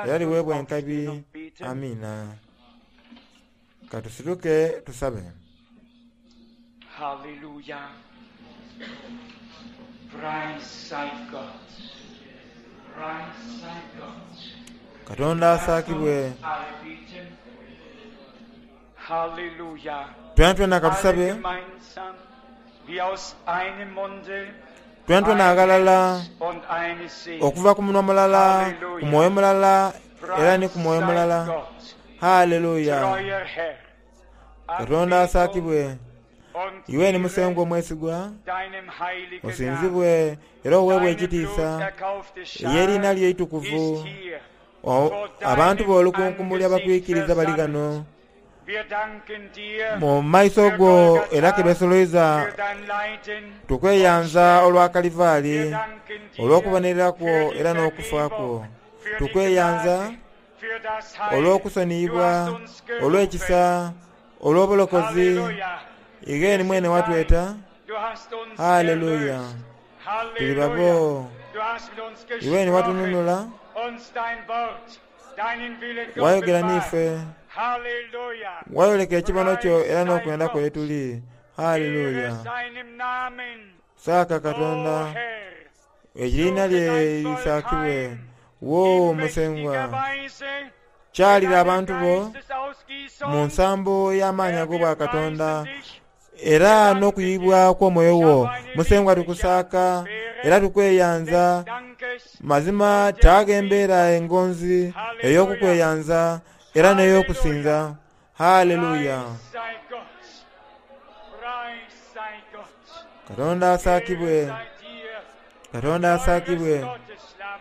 era liweebwe enkabi. Amiina. Katusituke tusabe. Halleluja. Preis sei Gott. Preis sei Gott. Katonda asaakibwe. Alle beten. Halleluja. Twenatwena Alle katusabe. gemeinsam, wie aus einem Munde, Twenatwena ein aghalala Herz und eine Seele. okuva ku munwa mulala, ku mwoyo mulala, era ni Preis ku mwoyo sei mulala. Gott, Haleluya. treuer Herr. Katonda asaakibwe. Und Iwe ni Ehre Musengwa omwesigwa, deinem heiligen Namen. osinzibwe era oweebwe Deine ekitiisa bluterkaufte ey'eriina Schar lyo eitukuvu. ist hier O- vor Abantu deinem b'olukunkumuli Angesicht abakwikiriza bali versammelt. ghano Wir danken dir mu maiso für go era ke Golgatha, besoloiza für dein Leiden und tukweyanza Sterben. olwa Wir Kalivaali, danken dir olw'okubonerera kwo für die era n'okufa kwo. Vergebung, für die Tukweyanza Gnade, für das Heil. Du olw'okusoniyibwa, hast uns gerufen. olw'ekisa, olw'obulokozi. Halleluja. Ighe Wir ni mwene sind dein. watweta. Du hast uns Haleluya. erlöst. Tuli Halleluja. babo. Du hast mit uns Iwe ni gesprochen, watununula, uns dein Wort, deinen Willen wayogera geoffenbart. n'ife, Halleluja. wayoleka ekibono kyo Preis era sei n'okwenda kwe Gott. tuli. Ehre Haleluya. seinem Namen. Saaka O Katonda, Herr, eriina suche lye dein Volk lisaakibwe. heim Wo in mächtiger Musengwa, Weise mit kyalira deiner abantu bo mu Geistesausgießung. nsambo y'amaanyi Herr, wir ag'Obwakatonda preisen dich, era wir danken dir. n'okuyibwa kw'omwoyo Ich wo. habe eine Musengwa liebliche tukusaaka Atmosphäre era tukweyanza. des Dankes Mazima und der taaga embeera Anbetung. engonzi Halleluja, ey'okukweyanza era n'ey'okusinza. Halleluja. Haleluya. Preis sei Gott, Preis sei Gott. Katonda Ehre asaakibwe, sei dir, Katonda teures asaakibwe. Gottes Lamm,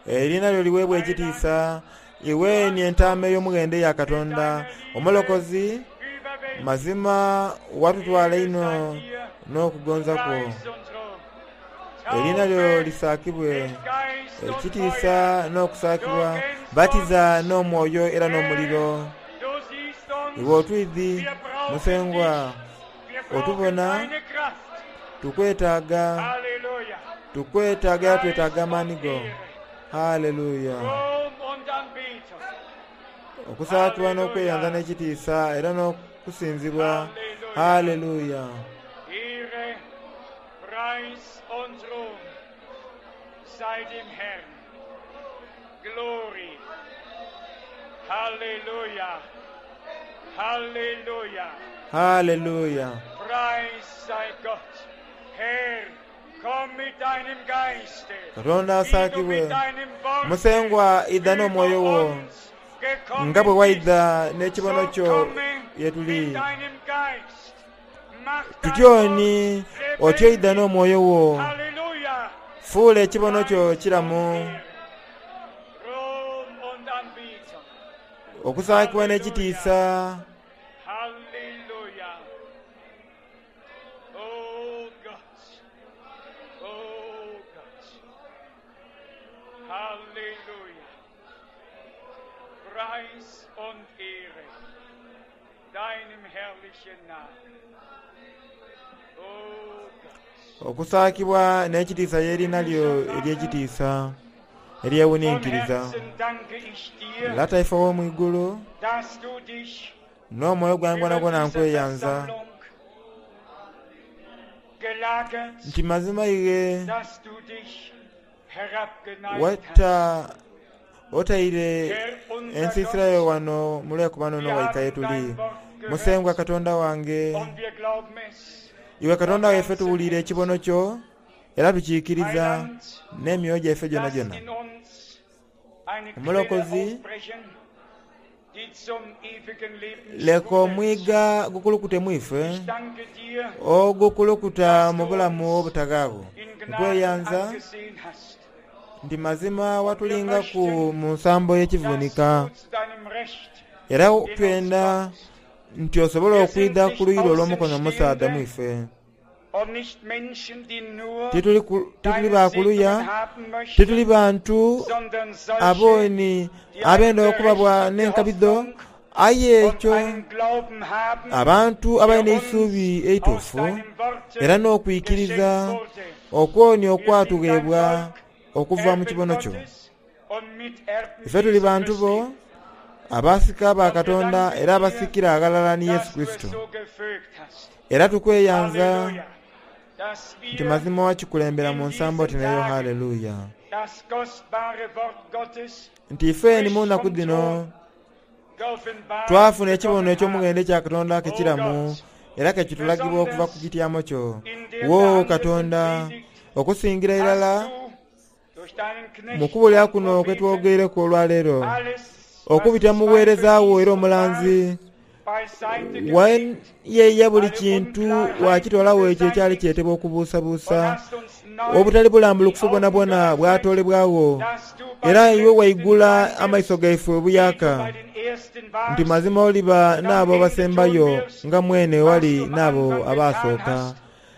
Eriina lyo liweebwa ekitiisa. Iwe ni entaama ey'omughendo eya mit Katonda. deiner Liebe Omulokozi, überwältigt. mazima watutwala Ehre inho sei dir, n'okugonza kwo. Preis und Ruhm. Eriina lyo Taufe lisaakibwe, mit Geist und Feuer. ekitiisa Du n'okusaakibwa. kennst Batiza uns, n'omwoyo era Herr, n'omuliro. du siehst uns, Iwe otwidhi, wir brauchen Musengwa, dich, wir brauchen otubona, deine Kraft. tukwetaaga, Halleluja. tukwetaaga era Preis twetaaga und amaani go. Ehre, Haleluya. Ruhm und Anbetung. Okusaakibwa n'okweyanza Halleluja. n'ekitiisa era n'okusinzibwa. Halleluja. Haleluya. Ehre, Preis und Ruhm sei dem Herrn. Glory. Halleluja. Halleluja. Haleluya. Preis sei Gott. Herr, komm mit deinem Geiste, Katonda wie du asaakibwe. mit deinem Worte Musengwa idha über n'omwoyo wo uns nga bwe gekommen waidha bist. n'ekibono So kyo komme ye tuli. mit deinem Geist. Mach dein Tutyo Wort ni otyo idha lebendig. n'omwoyo wo, Halleluja. fuula ekibono kyo Preis und kiramu. Ehre, Ruhm und Anbetung. Okusaakibwa n'ekitiisa. Halleluja. Oh Gott. Oh Gott. Halleluja. Preis und Ehre deinem herrlichen Namen. Oh Gott. Okusaakibwa n'ekitiisa y'erina lyo ery'ekitiisa Von eryewuninkiriza. Herzen danke ich dir, Lata ife ow'omu igulu dass du dich n'omwoyo gwange über gwonagwona dieser nkweyanza Versammlung gelagert, nti mazima ighe dass du dich herabgeneigt hast. watta otaire Herr unser ensiisira yo Gott, wano mulwekubano wir no waika haben ye tuli. dein Wort gehört Musengwa Katonda wange, und wir glauben es. iwe Katonda waife tuwulire ekibono kyo era tukiikiriza Heiland, n'emyoyo gyaife gyona lass gyona. in uns eine Quelle Omulokozi, aufbrechen, die zum ewigen Leben leka sprudelt. omwiga gukulukute mu ife Ich danke dir, ogukulukuta dass mu du bulamu uns obutagaabo. in Gnaden Nkweyanza angesehen hast. nti mazima Und wir watulingaku möchten, mu nsambo dass y'ekivunika du zu deinem Recht era in uns twenda kommst. nti osobola Wir sind okwidha ku nicht luyi lwo olw'omukono omusaadha mu Außenstehende ife. und nicht Menschen, die nur Tituli ku- tituli deine bakuluya, Segnungen haben tituli möchten, bantu sondern solche, abooni die eine abenda okubabwa berechtigte n'enkabido Hoffnung aye und ekyo einen Glauben haben, abantu abalina der uns eisuubi aus eituufu deinem era Worte n'okwikiriza geschenkt wurde. okwoni Wir sind dein okwatugheebwa Volk, okuva mu Erben kibono kyo. Gottes und Miterben Ife tuli Jesu bantu bo Christi. abasika ba Und wir Katonda danken era dir, abasikira aghalala ni Yesu dass du es Kristo. so gefügt hast. Era tukweyanza Halleluja. Dass nti wir mazima wakikulembera mu in nsambo diesen oti nayo Tagen haleluya. das kostbare Wort Gottes Nti ife ni mu frisch nnaku vom dhino Thron geoffenbart twafuna ekibono bekommen eky'omughendo haben. ekya Katonda O kekiramu Gott, era kekitulagibwa okuva ku besonders kityamo kyo. in der Wo behandelten Katonda Predigt okusingira hast irala du durch deinen mu Knecht kubulira und kuno kwe Propheten twogeireku olwaleero alles, was okubita mu Zweifel buweereza bwo hieß era und war, omulanzi beiseite gefegt, wayeeya buli alle kintu Unklarheiten wakitwalawo ekyo ekyali beseitigt kyetebwa und okubuusabuusa hast uns neu obutali die bulambulukufu Augen bwonabwona geöffnet, bwatoolebwawo dass du bei era den iwe Letzten waigula sein amaiso wirst, gaife wie du obuyaka bei den Ersten nti warst mazima oliba und am n'abo Ende tun abasembayo wirst, nga mwene was wali du am n'abo Anfang getan abaasooka hast.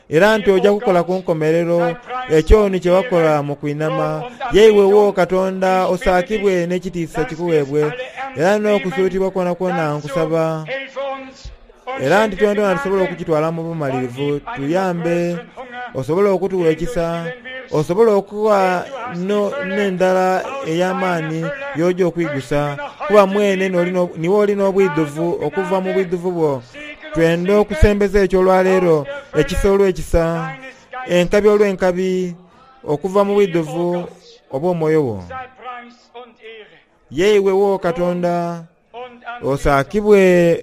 era nti Dir, ojja o kukola ku Gott, nkomerero sei Preis ekyoni und kye wakola Ehre, mu kwinama Lob und yeiwewo Anbetung. Katonda Ich bitte osaakibwe dich, n'ekitiisa dass wir es kikuweebwe alle era ernst nehmen. n'okusuutibwa kwonakwona Dazu nkusaba helfe uns und era nti schenke twendona tusobole Gnade okukitwala mu und bumalirivu gib einen noch tuyambe größeren Hunger, osobole okutuwa den du ekisa stillen wirst. osobole okuwa Denn du hast die no- Fülle, n'endala aus deiner ey'amaani Fülle y'ojja möchten okwigusa wir noch kuba heute mwene leben. n'olina- niwe olina obwidhuvu Gnade um okuva mu Gnade, bwidhuvu bwo Segen um twenda Segen okusembeza ekyo olwaleero aus der ekisa Fülle olw'ekisa deines Geistes. enkabi olw'enkabi okuva mu Dir, o bwidhuvu Gott, obw'omwoyo wo sei Preis und Ehre, yeiwewo Lob Katonda und Anbetung osaakibwe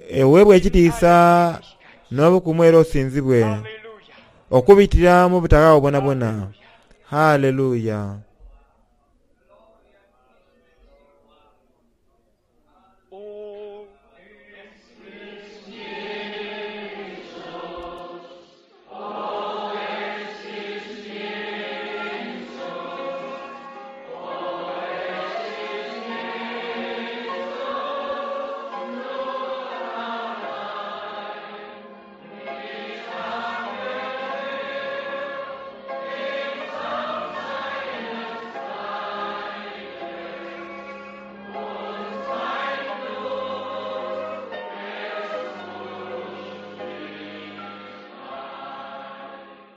eweebwe in ekitiisa alle Ewigkeit. n'obukumu era osinzibwe Halleluja, okubitira mu butagaawo bwonabwona Halleluja. haleluya.